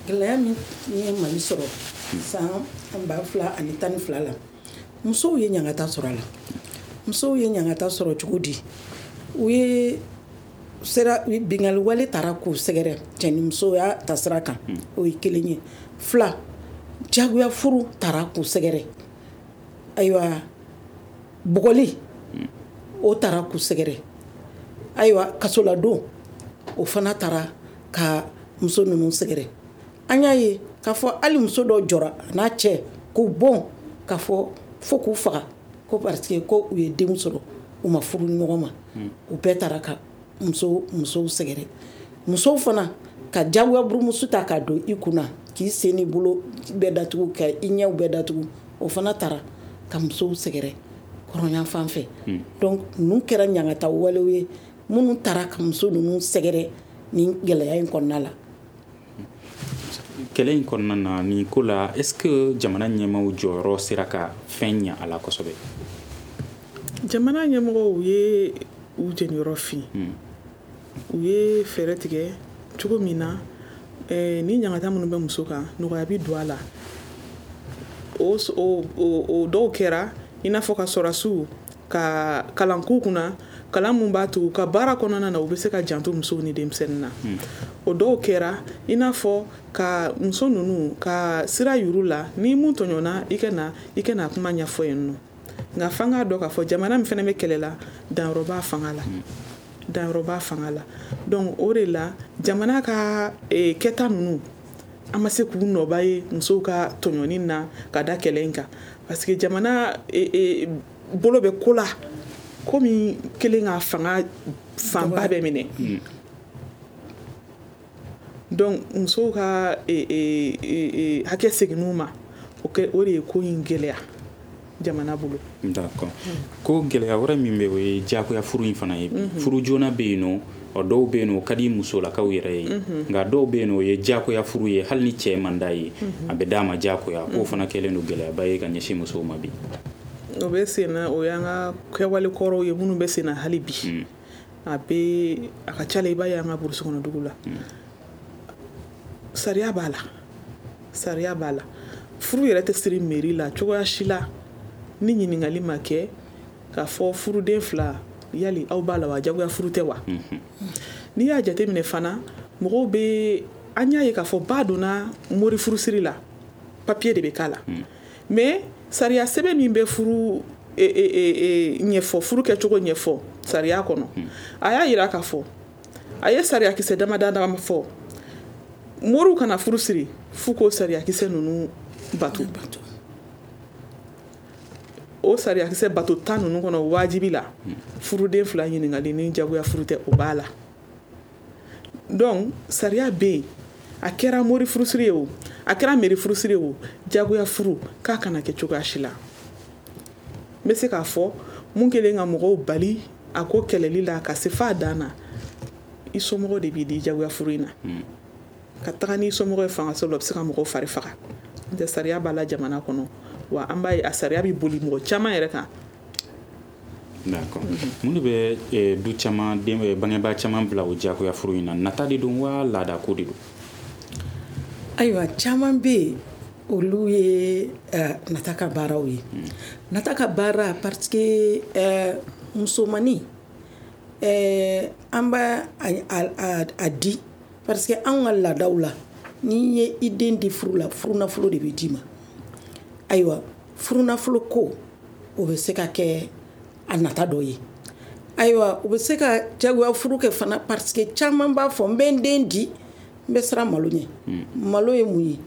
Gɛlɛya min ye Mali sɔrɔ san 2012 la, musow ye ɲangata sɔrɔ a la. Musow ye ɲangata sɔrɔ cogo di? U ye sera binkanni wale taara k'u sɛgɛrɛ cɛnimusoya ta sira kan, o ye kelen ye. Fila, jagoya furu taara k'u sɛgɛrɛ. Ayiwa, bugɔli o taara k'u sɛgɛrɛ. Ayiwa, kasoladon o fana taara ka muso ninnu sɛgɛrɛ. An y'a ye k'a fɔ hali muso dɔ jɔra a n'a cɛ k'u bon k'a fɔ fo k'u faga, ko parce que ko u ye denw sɔrɔ, u ma furu ɲɔgɔn ma. U bɛɛ taara ka musow sɛgɛrɛ. Musow fana ka jagoya burumusu ta k'a don i kunna, k'i sen ni bolo bɛɛ datugu, ka i ɲɛw bɛɛ datugu, o fana taara ka musow sɛgɛrɛ kɔrɔnya fan fɛ. Donc ninnu kɛra ɲangata walew ye minnu taara ka muso ninnu sɛgɛrɛ nin gɛlɛya in kɔnɔna la. Kɛlɛ in kɔnɔna na, nin ko la, est-ce que jamana ɲɛmaaw jɔyɔrɔ sera ka fɛn ɲɛ a la kosɛbɛ? Jamana ɲɛmɔgɔw ye u jeniyɔrɔ fin. U ye fɛɛrɛ tigɛ cogo min na ni ɲangata minnu bɛ muso kan, nɔgɔya bɛ don a la. O dɔw kɛra i n'a fɔ ka sɔrɔdasiw ka kalan k'u kunna, kalan mun b'a to u ka baara kɔnɔna na u bɛ se ka janto musow ni denmisɛnnin na. O dɔw kɛra i n'a fɔ ka muso ninnu ka sira yuru la, ni mun tɔɲɔna, i ka na kuma ɲɛfɔ yen nɔ. Nka f'an k'a dɔn k'a fɔ jamana min fana bɛ kɛlɛ la, danyɔrɔ b'a fanga la. Danyɔrɔ b'a fanga la. Donc o de la jamana ka kɛta ninnu, an ma se k'u nɔba ye musow ka tɔɲɔni na ka da kɛlɛ in kan, parce que jamana bolo bɛ ko la ko min kelen ka fanga fanba bɛɛ minɛ. Donc musow ka hakɛ seginn'u ma, o de ye ko in gɛlɛya jamana bolo. D'accord. Ko gɛlɛya wɛrɛ min bɛ, o ye diyagoya furu in fana ye. Furu joona bɛ yen nɔ, ɔ dɔw bɛ yen nɔ, o ka di musolakaw yɛrɛ ye, nka dɔw bɛ yen nɔ, o ye diyagoya furu ye, hali ni cɛ man d'a ye, a bɛ d'a ma diyagoya. K'o fana kɛlen don gɛlɛyaba ye ka ɲɛsin musow ma bi. O bɛ sen na, o y'an ka kɛwale kɔrɔw ye minnu bɛ sen na hali bi. A bɛ a ka ca la, i b'a ye an ka burusi kɔnɔ dugu la, sariya b'a la, sariya b'a la. Furu yɛrɛ tɛ siri mairie la cogoya si la ni ɲininkali ma kɛ k'a fɔ furuden fila yali aw b'a la wa, jagoya furu tɛ wa. N'i y'a jateminɛ fana, mɔgɔw bɛ, an y'a ye k'a fɔ ba donna mori furusiri la, papier de bɛ k'a la. Mais sariya sɛbɛn min bɛ furu ɲɛfɔ, furu kɛcogo ɲɛfɔ sariya kɔnɔ, a y'a yira k'a fɔ a ye sariyakisɛ dama dama fɔ, moriw kana furu siri f'u k'o sariyakisɛ ninnu bato. O sariyakisɛ bato 10 ninnu kɔnɔ, wajibi la furuden fila ɲininkali ni jagoya furu tɛ, o b'a la. Donc sariya bɛ yen, a kɛra mori furusiri ye o, a kɛra mairie furusiri ye o, jagoya furu k'a kana kɛ cogoya si la. N bɛ se k'a fɔ mun kɛlen ka mɔgɔw bali a ko kɛlɛli la ka se f'a dan na, i somɔgɔw de b'i di jagoya furu in na. Ka taga n'i somɔgɔ ye fangaso la, o bɛ se ka mɔgɔw fari faga. N'o tɛ, sariya b'a la jamana kɔnɔ, wa an b'a ye, a sariya bɛ boli mɔgɔ caman yɛrɛ kan. D'accord. Mun de bɛ du caman den, bangebaa caman bila o diyagoya furu in na? Nata de don wa, laada ko de don? Ayiwa, caman bɛ yen, olu ye nata ka baaraw ye. Nata ka baara, parce que musomannin, an b'a a di parce que anw ka laadaw la, n'i ye i den di furu la, furunafolo de bɛ d'i ma. Ayiwa, furunafolo ko, o bɛ se ka kɛ a nata dɔ ye. Ayiwa, u bɛ se ka jagoya furu kɛ fana parce que caman b'a fɔ: n bɛ n den di, n bɛ siran malo ɲɛ. Malo ye mun ye?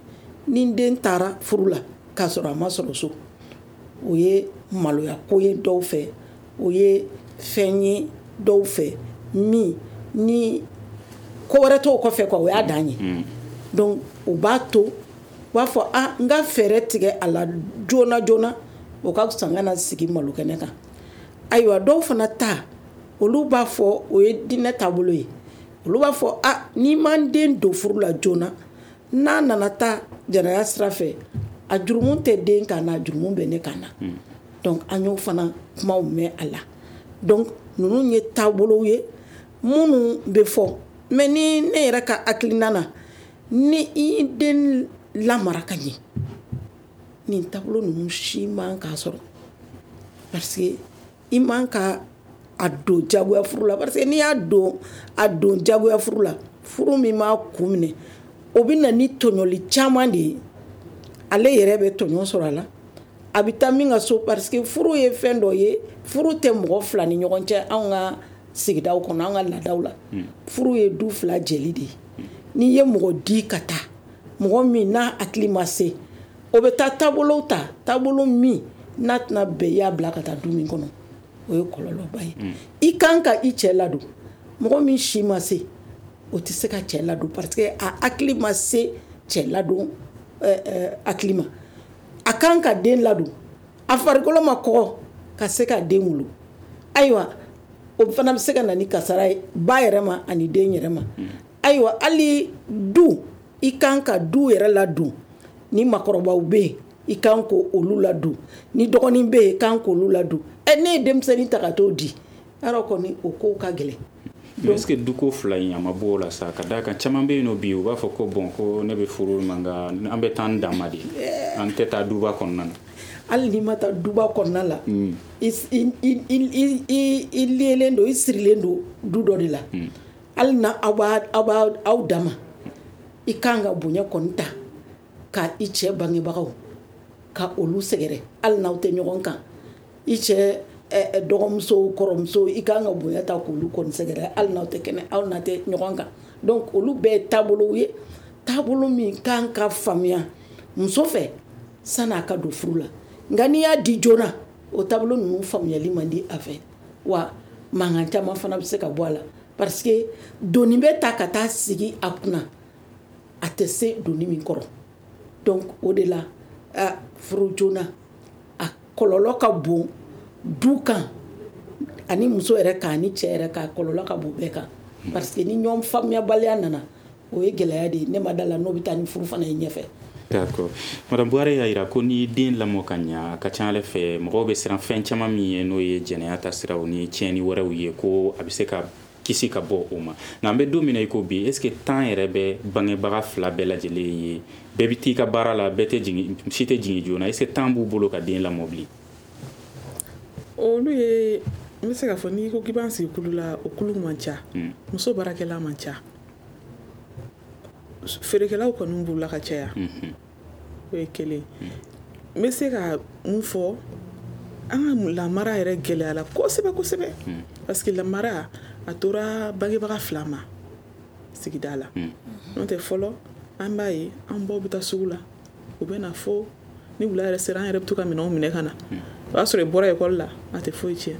Ni n den taara furu la k'a sɔrɔ a ma sɔrɔ so, o ye maloya ko ye dɔw fɛ, o ye fɛn ye dɔw fɛ min ni ko wɛrɛ t'o kɔfɛ quoi, o y'a dan ye. Donc o b'a to u b'a fɔ: a n ka fɛɛrɛ tigɛ a la joona joona, o ka fisa n ka na sigi malo kɛnɛ kan. Ayiwa, dɔw fana ta, olu b'a fɔ o ye diinɛ taabolo ye. Olu b'a fɔ: a n'i ma n den don furu la joona, n'a nana taa jɛnɛya sira fɛ, a jurumu tɛ den kan na, a jurumu bɛ ne kan na. Donc an y'o fana kumaw mɛn a la. Donc ninnu ye taabolow ye minnu bɛ fɔ. Mais ni ne yɛrɛ ka hakilina na, ni i den lamara ka ɲɛ, nin taabolo ninnu si man k'a sɔrɔ, parce que i man ka a don jagoya furu la, parce que n'i y'a don, a don jagoya furu la, furu min m'a kun minɛ, o bɛ na ni tɔɲɔli caman de ye. Ale yɛrɛ bɛ tɔɲɔ sɔrɔ a la, a bɛ taa min ka so, parce que furu ye fɛn dɔ ye, furu tɛ mɔgɔ fila ni ɲɔgɔn cɛ. Anw ka sigidaw kɔnɔ, an ka laadaw la, furu ye du fila jɛli de ye. N'i ye mɔgɔ di ka taa, mɔgɔ min n'a hakili ma se, o bɛ taa taabolow ta, taabolo min n'a tɛna bɛn i y'a bila ka taa du min kɔnɔ, o ye kɔlɔlɔba ye. I kan ka i cɛ ladon. Mɔgɔ min si ma se, o tɛ se ka cɛ ladon, parce que a hakili ma se cɛ ladon hakili ma. A kan ka den ladon, a farikolo ma kɔgɔ ka se ka den wolo. Ayiwa, o fana bɛ se ka na ni kasara ye ba yɛrɛ ma ani den yɛrɛ ma. Ayiwa, hali du, i kan ka du yɛrɛ ladon. Ni makɔrɔbaw bɛ yen, i kan ko olu ladon. Ni dɔgɔnin bɛ yen, i kan k'olu ladon. Ɛ, ne ye denmisɛnnin ta ka t'o di yarɔ, kɔni o kow ka gɛlɛn. Mais est ce que duko fila in, a ma bɔ o la sa? Ka d'a kan, caman bɛ yen nɔ bi, u b'a fɔ ko bon, ko ne bɛ furu ma, nka an bɛ taa an dan ma de, an tɛ taa duba kɔnɔna na. Hali n'i ma taa duba kɔnɔna la, i liélen don, i sirilen don du dɔ de la. Hali na aw b'a aw b'a aw dama, i kan ka bonya kɔni ta ka i cɛ bangebagaw ka olu sɛgɛrɛ, hali n'aw tɛ ɲɔgɔn kan. I cɛ dɔgɔmuso, kɔrɔmuso, i kan ka bonya ta k'olu kɔni sɛgɛrɛ, hali n'aw tɛ kɛnɛ, aw n'a tɛ ɲɔgɔn kan. Donc olu bɛɛ ye taabolow ye, taabolo min kan ka faamuya muso fɛ san'a ka don furu la. Nka n'i y'a di joona, o taabolo ninnu faamuyali man di a fɛ, wa mankan caman fana bɛ se ka bɔ a la, parce que doni bɛ ta ka taa sigi a kunna, a tɛ se doni min kɔrɔ. Donc o de la, furu joona, a kɔlɔlɔ ka bon du kan ani muso yɛrɛ kan ani cɛ yɛrɛ kan. Kɔlɔlɔ ka bon bɛɛ kan, parce que ni ɲɔgɔn faamuyabaliya nana, o ye gɛlɛya de ye. Ne ma da la n'o bɛ taa ni furu fana ye ɲɛfɛ. D'accord. Madame Buhari y'a jira ko ni den lamɔ ka ɲa, a ka ca ala fɛ, mɔgɔw bɛ siran fɛn caman min ye, n'o ye jɛnɛya ta siraw ni tiɲɛni wɛrɛw ye, ko a bɛ se ka kisi ka bɔ o ma. Nka an bɛ don min na i ko bi, est ce que temps yɛrɛ bɛ bangebaga fila bɛɛ lajɛlen ye? Bɛɛ bɛ t'i ka baara la, bɛɛ tɛ jigin, si tɛ jigin joona. Est ce que temps b'u bolo ka den lamɔ bilen? Olu ye, n bɛ se k'a fɔ, n'i ko k'i b'an sigi kulu la, o kulu man ca. Muso baarakɛla man ca, feerekɛlaw kɔni b'u la ka caya. O ye kelen. N bɛ se ka mun fɔ? An ka lamara yɛrɛ gɛlɛyara kosɛbɛ kosɛbɛ, parce que lamara a tora bangebaga fila ma sigida la. N'o tɛ, fɔlɔ an b'a ye, an baw bɛ taa sugu la, u bɛ na fo ni wula yɛrɛ sera, an yɛrɛ bɛ to ka minɛnw minɛ ka na. O y'a sɔrɔ i bɔra ekɔli la, a tɛ foyi tiɲɛ.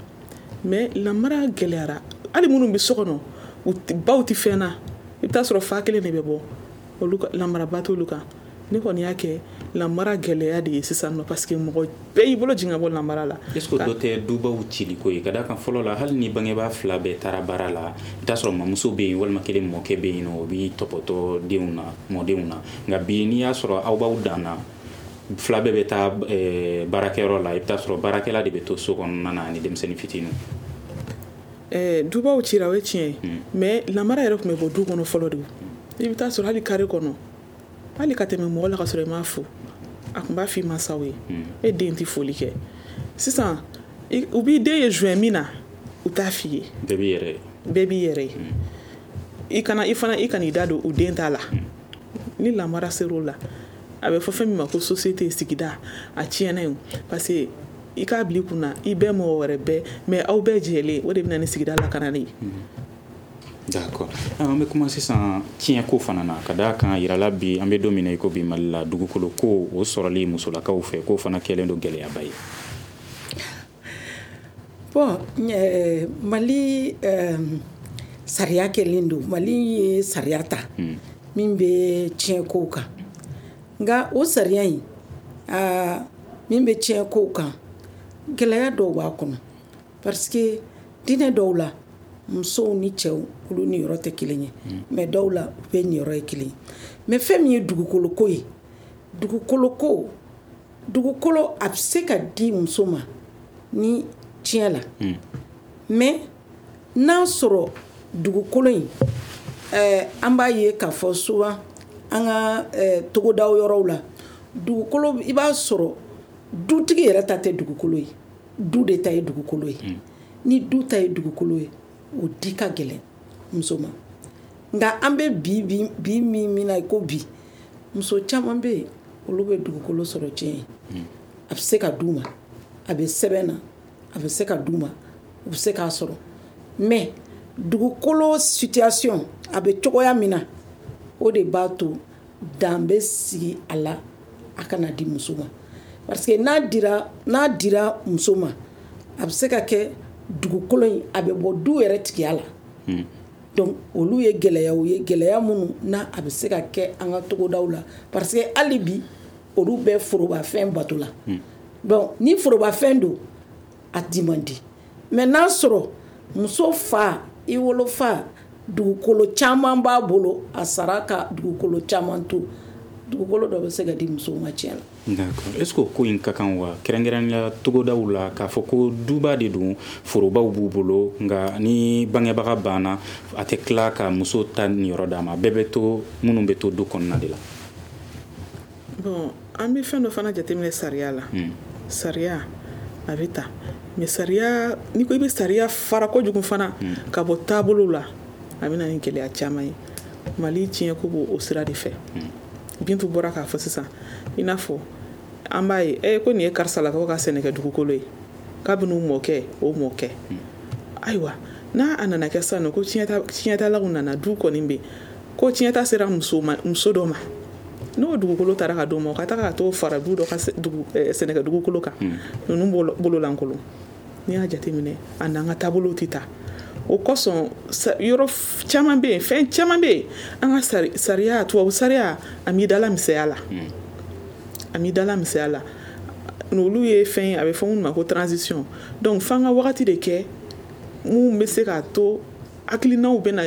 Mais lamara gɛlɛyara. Hali minnu bɛ so kɔnɔ, u baw tɛ fɛn na, i bɛ taa sɔrɔ fa kelen de bɛ bɔ, olu lamaraba t'olu kan. Ne kɔni y'a kɛ lamara gɛlɛya de ye sisan nɔ, parce que mɔgɔ bɛɛ y'i bolo jigin ka bɔ lamara la. Est-ce que dɔ tɛ dubaw ciliko ye? Ka d'a kan fɔlɔ la, hali ni bangebaa fila bɛɛ taara baara la, i t'a sɔrɔ mamuso bɛ yen walima kelen mɔkɛ bɛ yen nɔ, o b'i tɔpɔtɔ denw na, mɔdenw na. Nka bi, n'i y'a sɔrɔ aw b'aw dan na, fila bɛɛ bɛ taa baarakɛyɔrɔ la, i bɛ taa sɔrɔ baarakɛla de bɛ to so kɔnɔna na ani denmisɛnnin fitininw. Dubaw cira, o ye tiɲɛ ye, mais lamara yɛrɛ tun bɛ bɔ du kɔnɔ fɔlɔ de. I bɛ taa sɔrɔ hali carré kɔnɔ, hali ka tɛmɛ mɔgɔ la ka sɔrɔ i m'a fo, a tun b'a f'i mansaw ye, e den tɛ foli kɛ. Sisan u b'i den ye joint min na, u t'a f'i ye. Bɛɛ b'i yɛrɛ ye. Bɛɛ b'i yɛrɛ ye. I kana i fana, i kan'i da don u den ta la. Ni lamara ser'o la, a bɛ fɔ fɛn min ma ko société, sigida, a tiɲɛna yen, parce que i k'a bila i kunna, i bɛɛ mɔgɔ wɛrɛ bɛɛ, mais aw bɛɛ jɛlen, o de bɛ na ni sigida lakanani ye. D'accord, an bɛ kuma sisan tiɲɛko fana na. Ka d'a kan yirala bi, an bɛ don min na i ko bi, Mali la, dugukolo ko o sɔrɔli musolakaw fɛ, k'o fana kɛlen don gɛlɛyaba ye. Bon, Mali sariya kɛlen don, Mali ye sariya ta min bɛ tiɲɛkow kan. Nka o sariya in min bɛ tiɲɛkow kan, gɛlɛya dɔw b'a kɔnɔ, parce que diinɛ dɔw la, musow ni cɛw, olu niyɔrɔ tɛ kelen ye, mais dɔw la, u bɛ niyɔrɔ ye kelen ye. Mais fɛn min ye dugukoloko ye, dugukoloko, dugukolo a bɛ se ka di muso ma ni tiɲɛ la, mais n'a sɔrɔ dugukolo in, an b'a ye k'a fɔ souvent an ka togodaw yɔrɔw la, dugukolo, i b'a sɔrɔ dutigi yɛrɛ ta tɛ dugukolo ye, du de ta ye dugukolo ye. Ni du ta ye dugukolo ye, o di ka gɛlɛn muso ma. Nka an bɛ bi bi min na i ko bi, muso caman bɛ yen, olu bɛ dugukolo sɔrɔ tiɲɛ ye. A bɛ se ka d'u ma, a bɛ sɛbɛn na, a bɛ se ka d'u ma, u bɛ se k'a sɔrɔ. Mais dugukolo situation a bɛ cogoya min na, o de b'a to dan bɛ sigi a la, a kana di muso ma, parce que n'a dira muso ma, a bɛ se ka kɛ dugukolo in a bɛ bɔ du yɛrɛ tigiya la. Donc olu ye gɛlɛyaw ye, gɛlɛya minnu n'a a bɛ se ka kɛ an ka togodaw la, parce que hali bi olu bɛ forobafɛn bato la. Donc ni forobafɛn don, a di man di. Mais n'a sɔrɔ muso fa, i wolofa, dugukolo caman b'a bolo, a sara ka dugukolo caman to, dugukolo dɔ bɛ se ka di musow ma tiɲɛ la. D'accord, est ce que o ko in ka kan wa, kɛrɛnkɛrɛnnenya togodaw la, k'a fɔ ko duba de don, forobaw b'u bolo, nka ni bangebaga banna, a tɛ tila ka muso ta niyɔrɔ d'a ma, bɛɛ bɛ to, minnu bɛ to du kɔnɔna de la? Bon, an bɛ fɛn dɔ fana jateminɛ sariya la. Sariya a bɛ ta, mais sariya, n'i ko i bɛ sariya fara kojugu fana ka bɔ taabolo la, a bɛ na ni gɛlɛya caman ye. Mali tiɲɛko b'o o sira de fɛ. Bintu bɔra k'a fɔ sisan, i n'a fɔ an b'a ye ko nin ye karisalakaw ka sɛnɛkɛ dugukolo ye kabini u mɔkɛ, o mɔkɛ. Ayiwa, n'a a nana kɛ sisan nɔ ko tiɲɛtalaw nana, du kɔni bɛ ko tiɲɛta sera muso ma, muso dɔ ma, n'o dugukolo taara ka d'o ma, o ka taga ka t'o fara du dɔ ka sɛnɛkɛ dugukolo kan, ninnu bolo lankolon. N'i y'a jateminɛ, a n'an ka taabolow tɛ taa. O kosɔn, yɔrɔ caman bɛ yen, fɛn caman bɛ yen, an ka sariya, tubabu sariya, a m'i dala misɛnya la, a m'i dala misɛnya la. N'olu ye fɛn ye, a bɛ fɔ minnu ma ko transition. Donc f'an ka wagati de kɛ mun bɛ se k'a to hakilinaw bɛ na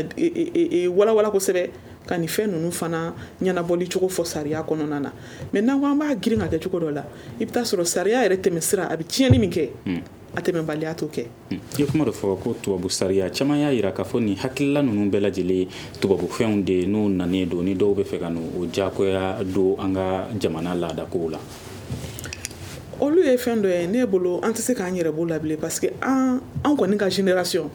walawala kosɛbɛ, ka nin fɛn ninnu fana ɲɛnabɔli cogo fɔ sariya kɔnɔna na. Mais n'an ko an b'a girin ka kɛ cogo dɔ la, i bɛ taa sɔrɔ sariya yɛrɛ tɛmɛ sira, a bɛ tiɲɛni min kɛ, a tɛmɛbaliya t'o kɛ. I ye kuma dɔ fɔ ko tubabu sariya, caman y'a yira k'a fɔ nin hakilila ninnu bɛɛ lajɛlen tubabu fɛnw de n'u nanen don, ni dɔw bɛ fɛ ka n'o diyagoya don an ka jamana laadakow la. Olu ye fɛn dɔ ye ne bolo, an tɛ se k'an yɛrɛ b'o la bilen, parce que an kɔni ka génération,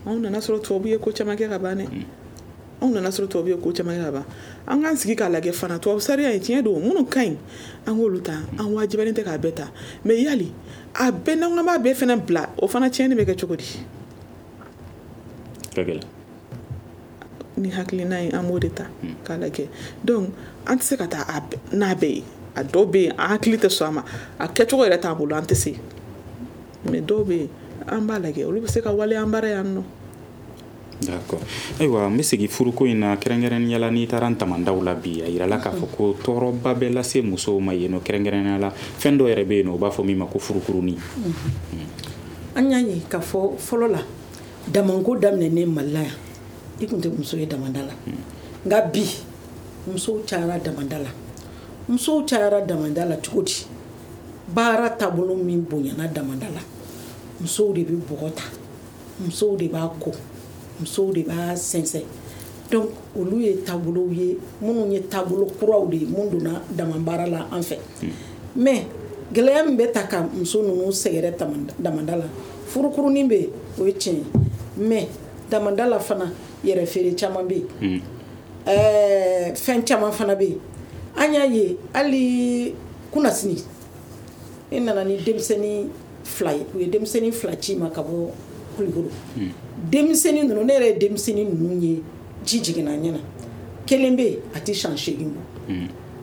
anw nana sɔrɔ tubabu ye ko caman kɛ ka ban dɛ. Anw nana sɔrɔ tubabu ye ko caman kɛ ka ban. An k'an sigi k'a lajɛ fana, tubabu sariya ye tiɲɛ don, minnu ka ɲi, an k'olu ta, an wajibiyalen tɛ k'a bɛɛ ta. Mais yali a bɛɛ, n'an ko b'a bɛɛ fana bila, o fana tiɲɛni bɛ kɛ cogo di? Ka gɛlɛn. Ni hakilina ye, an b'o de ta k'a lajɛ. Donc an tɛ se ka taa n'a bɛɛ ye. A dɔw bɛ yen, an hakili tɛ sɔn a ma, a kɛcogo yɛrɛ t'an bolo, an tɛ se. Mais dɔw bɛ yen, an b'a lajɛ, olu bɛ se ka waleya an bara yan nɔ. D'accord. Ayiwa, n bɛ segin furuko in na, kɛrɛnkɛrɛnnenya la n'i taara damandaw la bi, a yirala k'a fɔ ko tɔɔrɔba bɛ lase musow ma yen nɔ, kɛrɛnkɛrɛnnenya la fɛn dɔ yɛrɛ bɛ yen nɔ, u b'a fɔ min ma ko furukurunin. An y'a ye k'a fɔ fɔlɔ la, damanko daminɛnen Mali la yan, i tun tɛ muso ye damanda la. Nka bi musow cayara damanda la. Musow cayara damanda la cogo di? Baara taabolo min bonyana damanda la, musow de bɛ bɔgɔ ta, musow de b'a ko, musow de b'a sɛnsɛn. Donc olu ye taabolow ye minnu ye taabolo kuraw de ye mun donna dama baara la an fɛ. Mais gɛlɛya min bɛ ta ka muso ninnu sɛgɛrɛ damanda la, furukurunin bɛ yen, o ye tiɲɛ ye. Mais damanda la fana, yɛrɛ feere caman bɛ yen, fɛn caman fana bɛ yen. An y'a ye hali kunnasini, e nana ni denmisɛnnin 2 ye, u ye denmisɛnnin 2 ci ma ka bɔ Kulukoro. Denmisɛnnin ninnu, ne yɛrɛ ye denmisɛnnin ninnu ye, ji jiginna n ɲɛna. Kelen bɛ yen, a tɛ san 8 bɔ,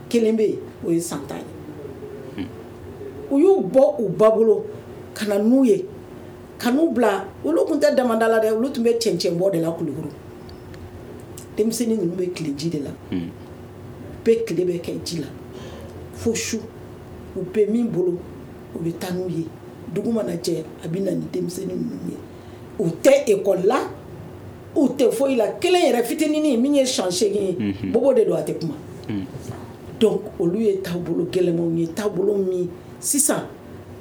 kelen bɛ yen, o ye san 10 ye. U y'u bɔ u ba bolo ka na n'u ye, ka n'u bila. Olu tun tɛ damanda la dɛ, olu tun bɛ cɛncɛn bɔ de la Kulukoro. Denmisɛnnin ninnu bɛ tile ji de la, bɛɛ tile bɛ kɛ ji la fo su. U bɛ min bolo, u bɛ taa n'u ye. Dugu mana jɛ, a bɛ na ni denmisɛnnin ninnu ye. U tɛ ekɔli la, u tɛ foyi la. Kelen yɛrɛ fitinin min ye san 8 ye, bobo de don, a tɛ kuma. Donc olu ye taabolo gɛlɛnmanw ye, taabolo min sisan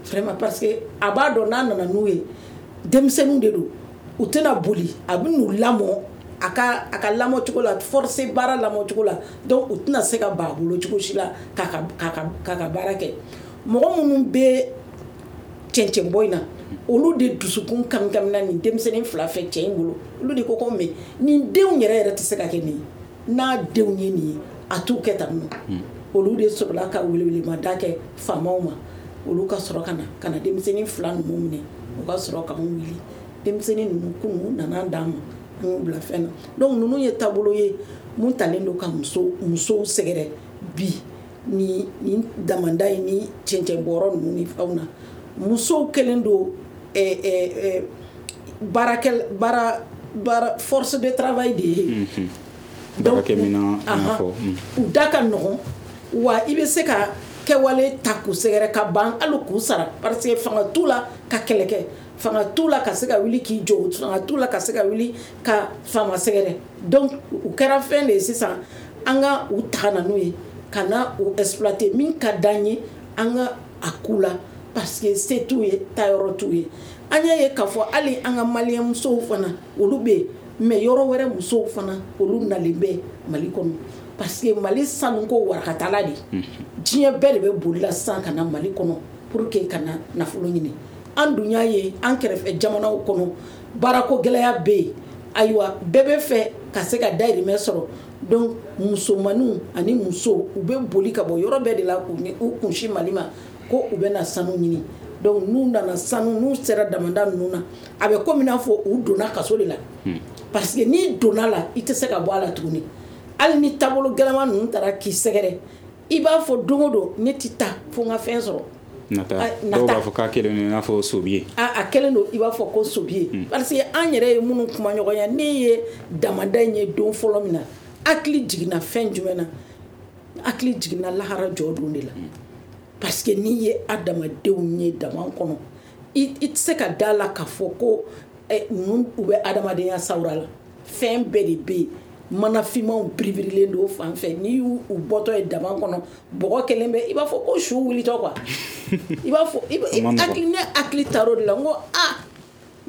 vraiment, parce que a b'a dɔn n'a nana n'u ye, denmisɛnninw de don, u tɛna boli, a bɛ n'u lamɔ a ka lamɔ cogo la, forcé baara lamɔ cogo la. Donc u tɛna se ka ban a bolo cogo si la k'a ka baara kɛ. Mɔgɔ minnu bɛ cɛncɛn bɔ in na, olu de dusukun kamikamina nin denmisɛnnin 2 fɛ cɛ in bolo. Olu de ko mais nin denw yɛrɛ yɛrɛ tɛ se ka kɛ nin ye, n'a denw ye nin ye, a t'u kɛ tan nɔ. Olu de sɔrɔla ka welewelemada kɛ faamaw ma, olu ka sɔrɔ ka na denmisɛnnin 2 ninnu minɛ, u ka sɔrɔ k'anw wuli. Denmisɛnnin ninnu kunun nana d'an ma, an y'u bila fɛn na. Donc ninnu ye taabolo ye mun talen don ka musow sɛgɛrɛ bi ni damanda in ni cɛncɛn bɔyɔrɔ ninnu ni fɛnw na. Musow kɛlen don baara force de travail de ye. Baarakɛminɛn i n'a fɔ. U da ka nɔgɔn, wa i bɛ se ka kɛwale ta k'u sɛgɛrɛ ka ban hali k'u sara, parce que fanga t'u la ka kɛlɛ kɛ, fanga t'u la ka se ka wuli k'i jɔ, fanga t'u la ka se ka wuli ka faama sɛgɛrɛ. Donc u kɛra fɛn de ye sisan, an ka u ta ka na n'u ye, ka na u exploiter. Min ka d'an ye, an ka a k'u la, parce que se t'u ye, taayɔrɔ t'u ye. An y'a ye k'a fɔ hali an ka maliyɛn musow fana, olu bɛ yen, mais yɔrɔ wɛrɛ musow fana, olu nalen bɛ Mali kɔnɔ, parce que Mali sanuko warakatala de, diɲɛ bɛɛ de bɛ boli la sisan ka na Mali kɔnɔ pour que ka na nafolo ɲini. An dun y'a ye an kɛrɛfɛ jamanaw kɔnɔ, baarako gɛlɛya bɛ yen. Ayiwa, bɛɛ bɛ fɛ ka se ka dayirimɛ sɔrɔ. Donc musomaninw ani musow, u bɛ boli ka bɔ yɔrɔ bɛɛ de la k'u kunsin Mali ma ko u bɛ na sanu ɲini. Donc n'u nana sanu, n'u sera damanda ninnu na, a bɛ komi n'a fɔ u donna kaso de la, parce que n'i donna la, i tɛ se ka bɔ a la tuguni. Hali ni taabolo gɛlɛman ninnu taara k'i sɛgɛrɛ, i b'a fɔ don o don, ne tɛ taa fo n ka fɛn sɔrɔ. Nata, dɔw b'a fɔ k'a kɛlen don i n'a fɔ sobiye. A kɛlen don i b'a fɔ ko sobiye, parce que an yɛrɛ ye minnu kuma ɲɔgɔnya, ne ye damanda in ye don fɔlɔ min na, hakili jiginna fɛn jumɛn na? Hakili jiginna lahara jɔ don de la, parce que n'i ye adamadenw ye dama kɔnɔ, i tɛ se ka da la k'a fɔ ko ninnu u bɛ adamadenya sawura la. Fɛn bɛɛ de bɛ yen, mana finmanw biribirilen don fan fɛ. N'i y'u bɔtɔ ye dama kɔnɔ, bɔgɔ kɛlen bɛ i b'a fɔ ko su wulitɔ quoi. I b'a fɔ ne hakili taar'o de la, n ko aa,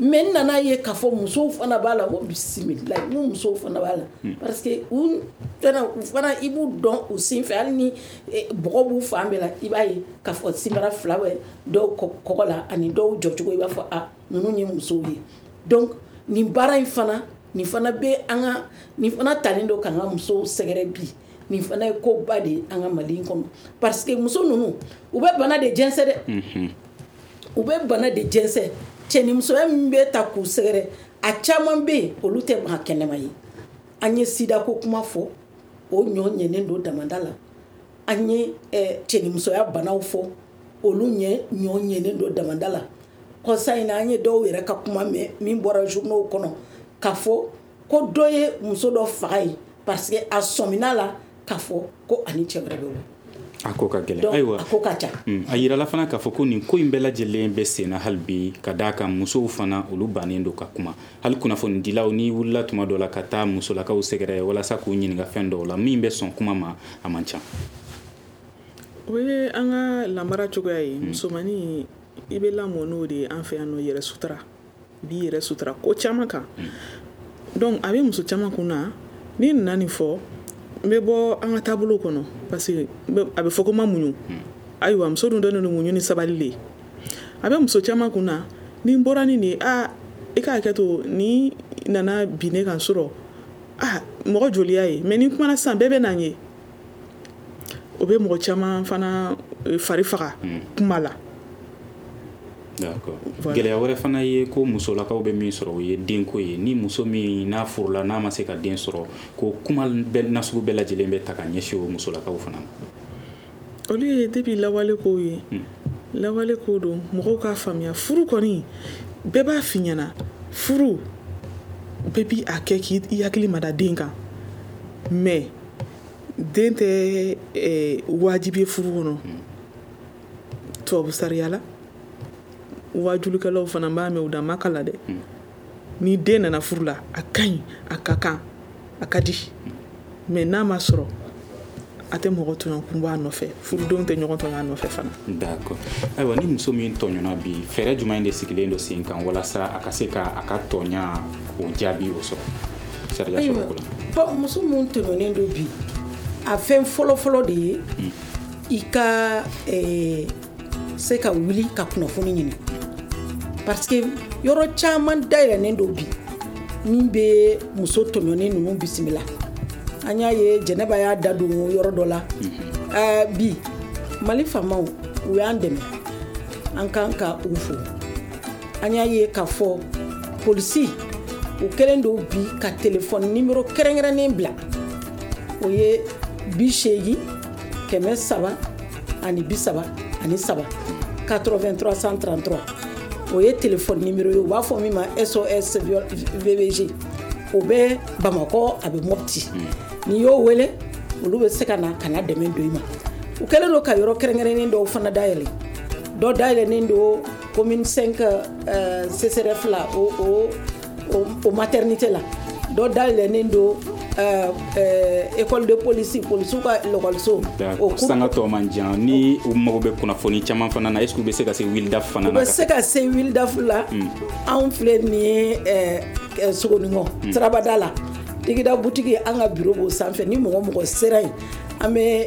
mais n nana ye k'a fɔ musow fana b'a la. N ko bisimilayi, n ko musow fana b'a la, parce que u fana i b'u dɔn u sen fɛ. Hali ni bɔgɔ b'u fan bɛɛ la, i b'a ye k'a fɔ sinbara 2 bɛ dɔw kɔgɔ la, ani dɔw jɔcogo, i b'a fɔ a ninnu ye musow ye. Donc nin baara in fana, nin fana bɛ an ka, nin fana talen don k'an ka musow sɛgɛrɛ bi. Nin fana ye koba de ye an ka Mali in kɔnɔ, parce que muso ninnu, u bɛ bana de jɛnsɛn dɛ, u bɛ bana de jɛnsɛn. Cɛnimusoya min bɛ ta k'u sɛgɛrɛ, a caman bɛ yen, olu tɛ maa kɛnɛma ye. An ye sida ko kuma fɔ, o ɲɔ ɲɛnen don damanda la. An ye cɛnimusoya banaw fɔ, olu ɲɔ ɲɛnen don damanda la. Kɔsa in na, an ye dɔw yɛrɛ ka kuma mɛn min bɔra journaux kɔnɔ k'a fɔ ko dɔ ye muso dɔ faga yen parce que a sɔmina la k'a fɔ ko ani cɛ wɛrɛ bɛ wolo. A ko ka gɛlɛn. Ayiwa, a ko ka ca. A yirala fana k'a fɔ ko nin ko in bɛɛ lajɛlen bɛ senna hali bi, ka d'a kan musow fana olu bannen don ka kuma. Hali kunnafonidilaw, n'i wulila tuma dɔ la ka taa musolakaw sɛgɛrɛ walasa k'u ɲininka fɛn dɔw la, min bɛ sɔn kuma ma, a man ca. O ye an ka lamara cogoya ye. Musomannin, i bɛ lamɔ n'o de ye an fɛ yan nɔ, yɛrɛ sutura. I b'i yɛrɛ sutura ko caman kan. Donc a bɛ muso caman kun na, n'i nana nin fɔ, n bɛ bɔ an ka taabolo kɔnɔ, parce que a bɛ fɔ ko ma muɲu. Ayiwa, muso dun dɔnnen don muɲu ni sabali de. A bɛ muso caman kun na, ni n bɔra ni nin ye, aa, i k'a hakɛ to, ni nana bin ne kan sɔrɔ, aa, mɔgɔ joli y'a ye, mais ni kumana sisan, bɛɛ bɛ na n ye. O bɛ mɔgɔ caman fana fari faga kuma la. D'accord. Gɛlɛya wɛrɛ fana ye ko musolakaw bɛ min sɔrɔ, o ye denko ye. Ni muso min n'a furula, n'a ma se ka den sɔrɔ, ko kuma bɛɛ nasugu bɛɛ lajɛlen bɛ ta ka ɲɛsin o musolakaw fana ma. Olu ye depuis lawale kow ye. Lawale ko don, mɔgɔw k'a faamuya, furu kɔni, bɛɛ b'a f'i ɲɛna, furu bɛɛ bi a kɛ k'i hakili mada den kan, mais den tɛ wajibi ye furu kɔnɔ. Tubabu sariya la, wajulikɛlaw fana b'a mɛn u da ma kala dɛ. Ni den nana furu la, a ka ɲi, a ka kan, a ka di, mais n'a ma sɔrɔ, a tɛ mɔgɔ tɔɲɔ kun b'a nɔfɛ. Furudenw tɛ ɲɔgɔn tɔɲɔ a nɔfɛ fana. D'accord. Ayiwa, ni muso min tɔɲɔna bi, fɛɛrɛ jumɛn de sigilen don sen kan walasa a ka se ka a ka tɔɲa o jaabi o sɔrɔ sariya sɔrɔ ko la? Bon, muso min tɔɲɔnen don bi, a fɛn fɔlɔfɔlɔ de ye i ka se ka wuli ka kunnafoni ɲini, parce que yɔrɔ caman dayɛlɛnnen don bi min bɛ muso tɔɲɔnen ninnu bisimila. An y'a ye Jɛnɛba y'a da don yɔrɔ dɔ la. Bi Mali faamaw, u y'an dɛmɛ, an kan ka u fo. An y'a ye k'a fɔ polisi, u kɛlen don bi ka telefɔni nimero kɛrɛnkɛrɛnnen bila, o ye 80 333, 8333. O ye telefɔni nimero ye, u b'a fɔ min ma SOS VBG. O bɛ Bamakɔ, a bɛ Mopti. N'i y'o wele, olu bɛ se ka na ka na dɛmɛ don i ma. U kɛlen don ka yɔrɔ kɛrɛnkɛrɛnnen dɔw fana dayɛlɛ. Dɔ dayɛlɛnnen don commune 5 CSRF la, o maternité la. Dɔ dayɛlɛnnen don école de police, polisiw ka lɔkɔliso. O sanga tɔ man jan. Ni u mago bɛ kunnafoni caman fana na, est ce que u bɛ se ka se Wildaf fana na? U bɛ se ka se Wildaf la. Anw filɛ nin ye Sogonikɔ sirabada la, Tigida butigi, an ka bureau b'o sanfɛ. Ni mɔgɔ mɔgɔ sera yen, an bɛ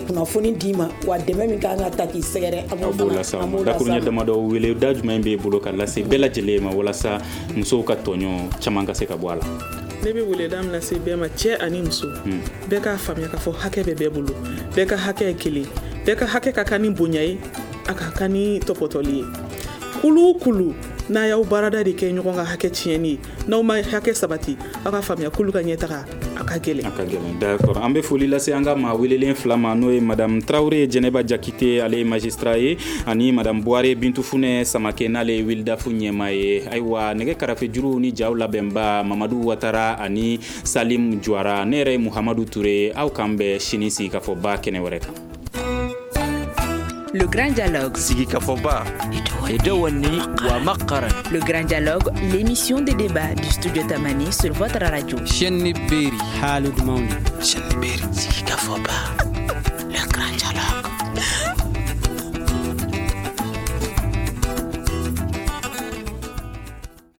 kunnafoni d'i ma, wa dɛmɛ min kan ka ta k'i sɛgɛrɛ, an b'o lase aw ma. Dakuruɲɛ damadɔ, wele da jumɛn b'e bolo ka lase bɛɛ lajɛlen ma walasa musow ka tɔɲɔ caman ka se ka bɔ a la? Ne bɛ weleda min lase bɛɛ ma, cɛ ani muso, bɛɛ k'a faamuya k'a fɔ hakɛ bɛ bɛɛ bolo, bɛɛ ka hakɛ ye kelen, bɛɛ ka hakɛ ka kan ni bonya ye, a ka kan ni tɔpɔtɔli ye. Kulu o kulu, n'a y'aw baarada de kɛ ɲɔgɔn ka hakɛ tiɲɛni ye, n'aw ma hakɛ sabati, aw ka faamuya kulu ka ɲɛtaga a ka gɛlɛn. A ka gɛlɛn, d'accord. An bɛ foli lase an ka maa welelen fila ma, n'o ye madame Tarawele Jɛnɛba Jakite, ale ye magistrat ye, ani madame Buware Bintu Funɛ Samake, n'ale ye Wildaf ɲɛmaa ye. Ayiwa, nɛgɛ karafe juruw ni jaw labɛnba, Mamadu Watara ani Salim Juwara. Ne yɛrɛ ye Muhamadu Ture. Aw k'an bɛn sini sigikafɔba kɛnɛ wɛrɛ kan. Le Grand Dialogue. Sigikafɔba. Le Grand Dialogue, l'émission de débat du studio Tamani sur votre radio. Chaîne Berry. Haalud Mawni. Chaîne Berry. Sigikafɔba.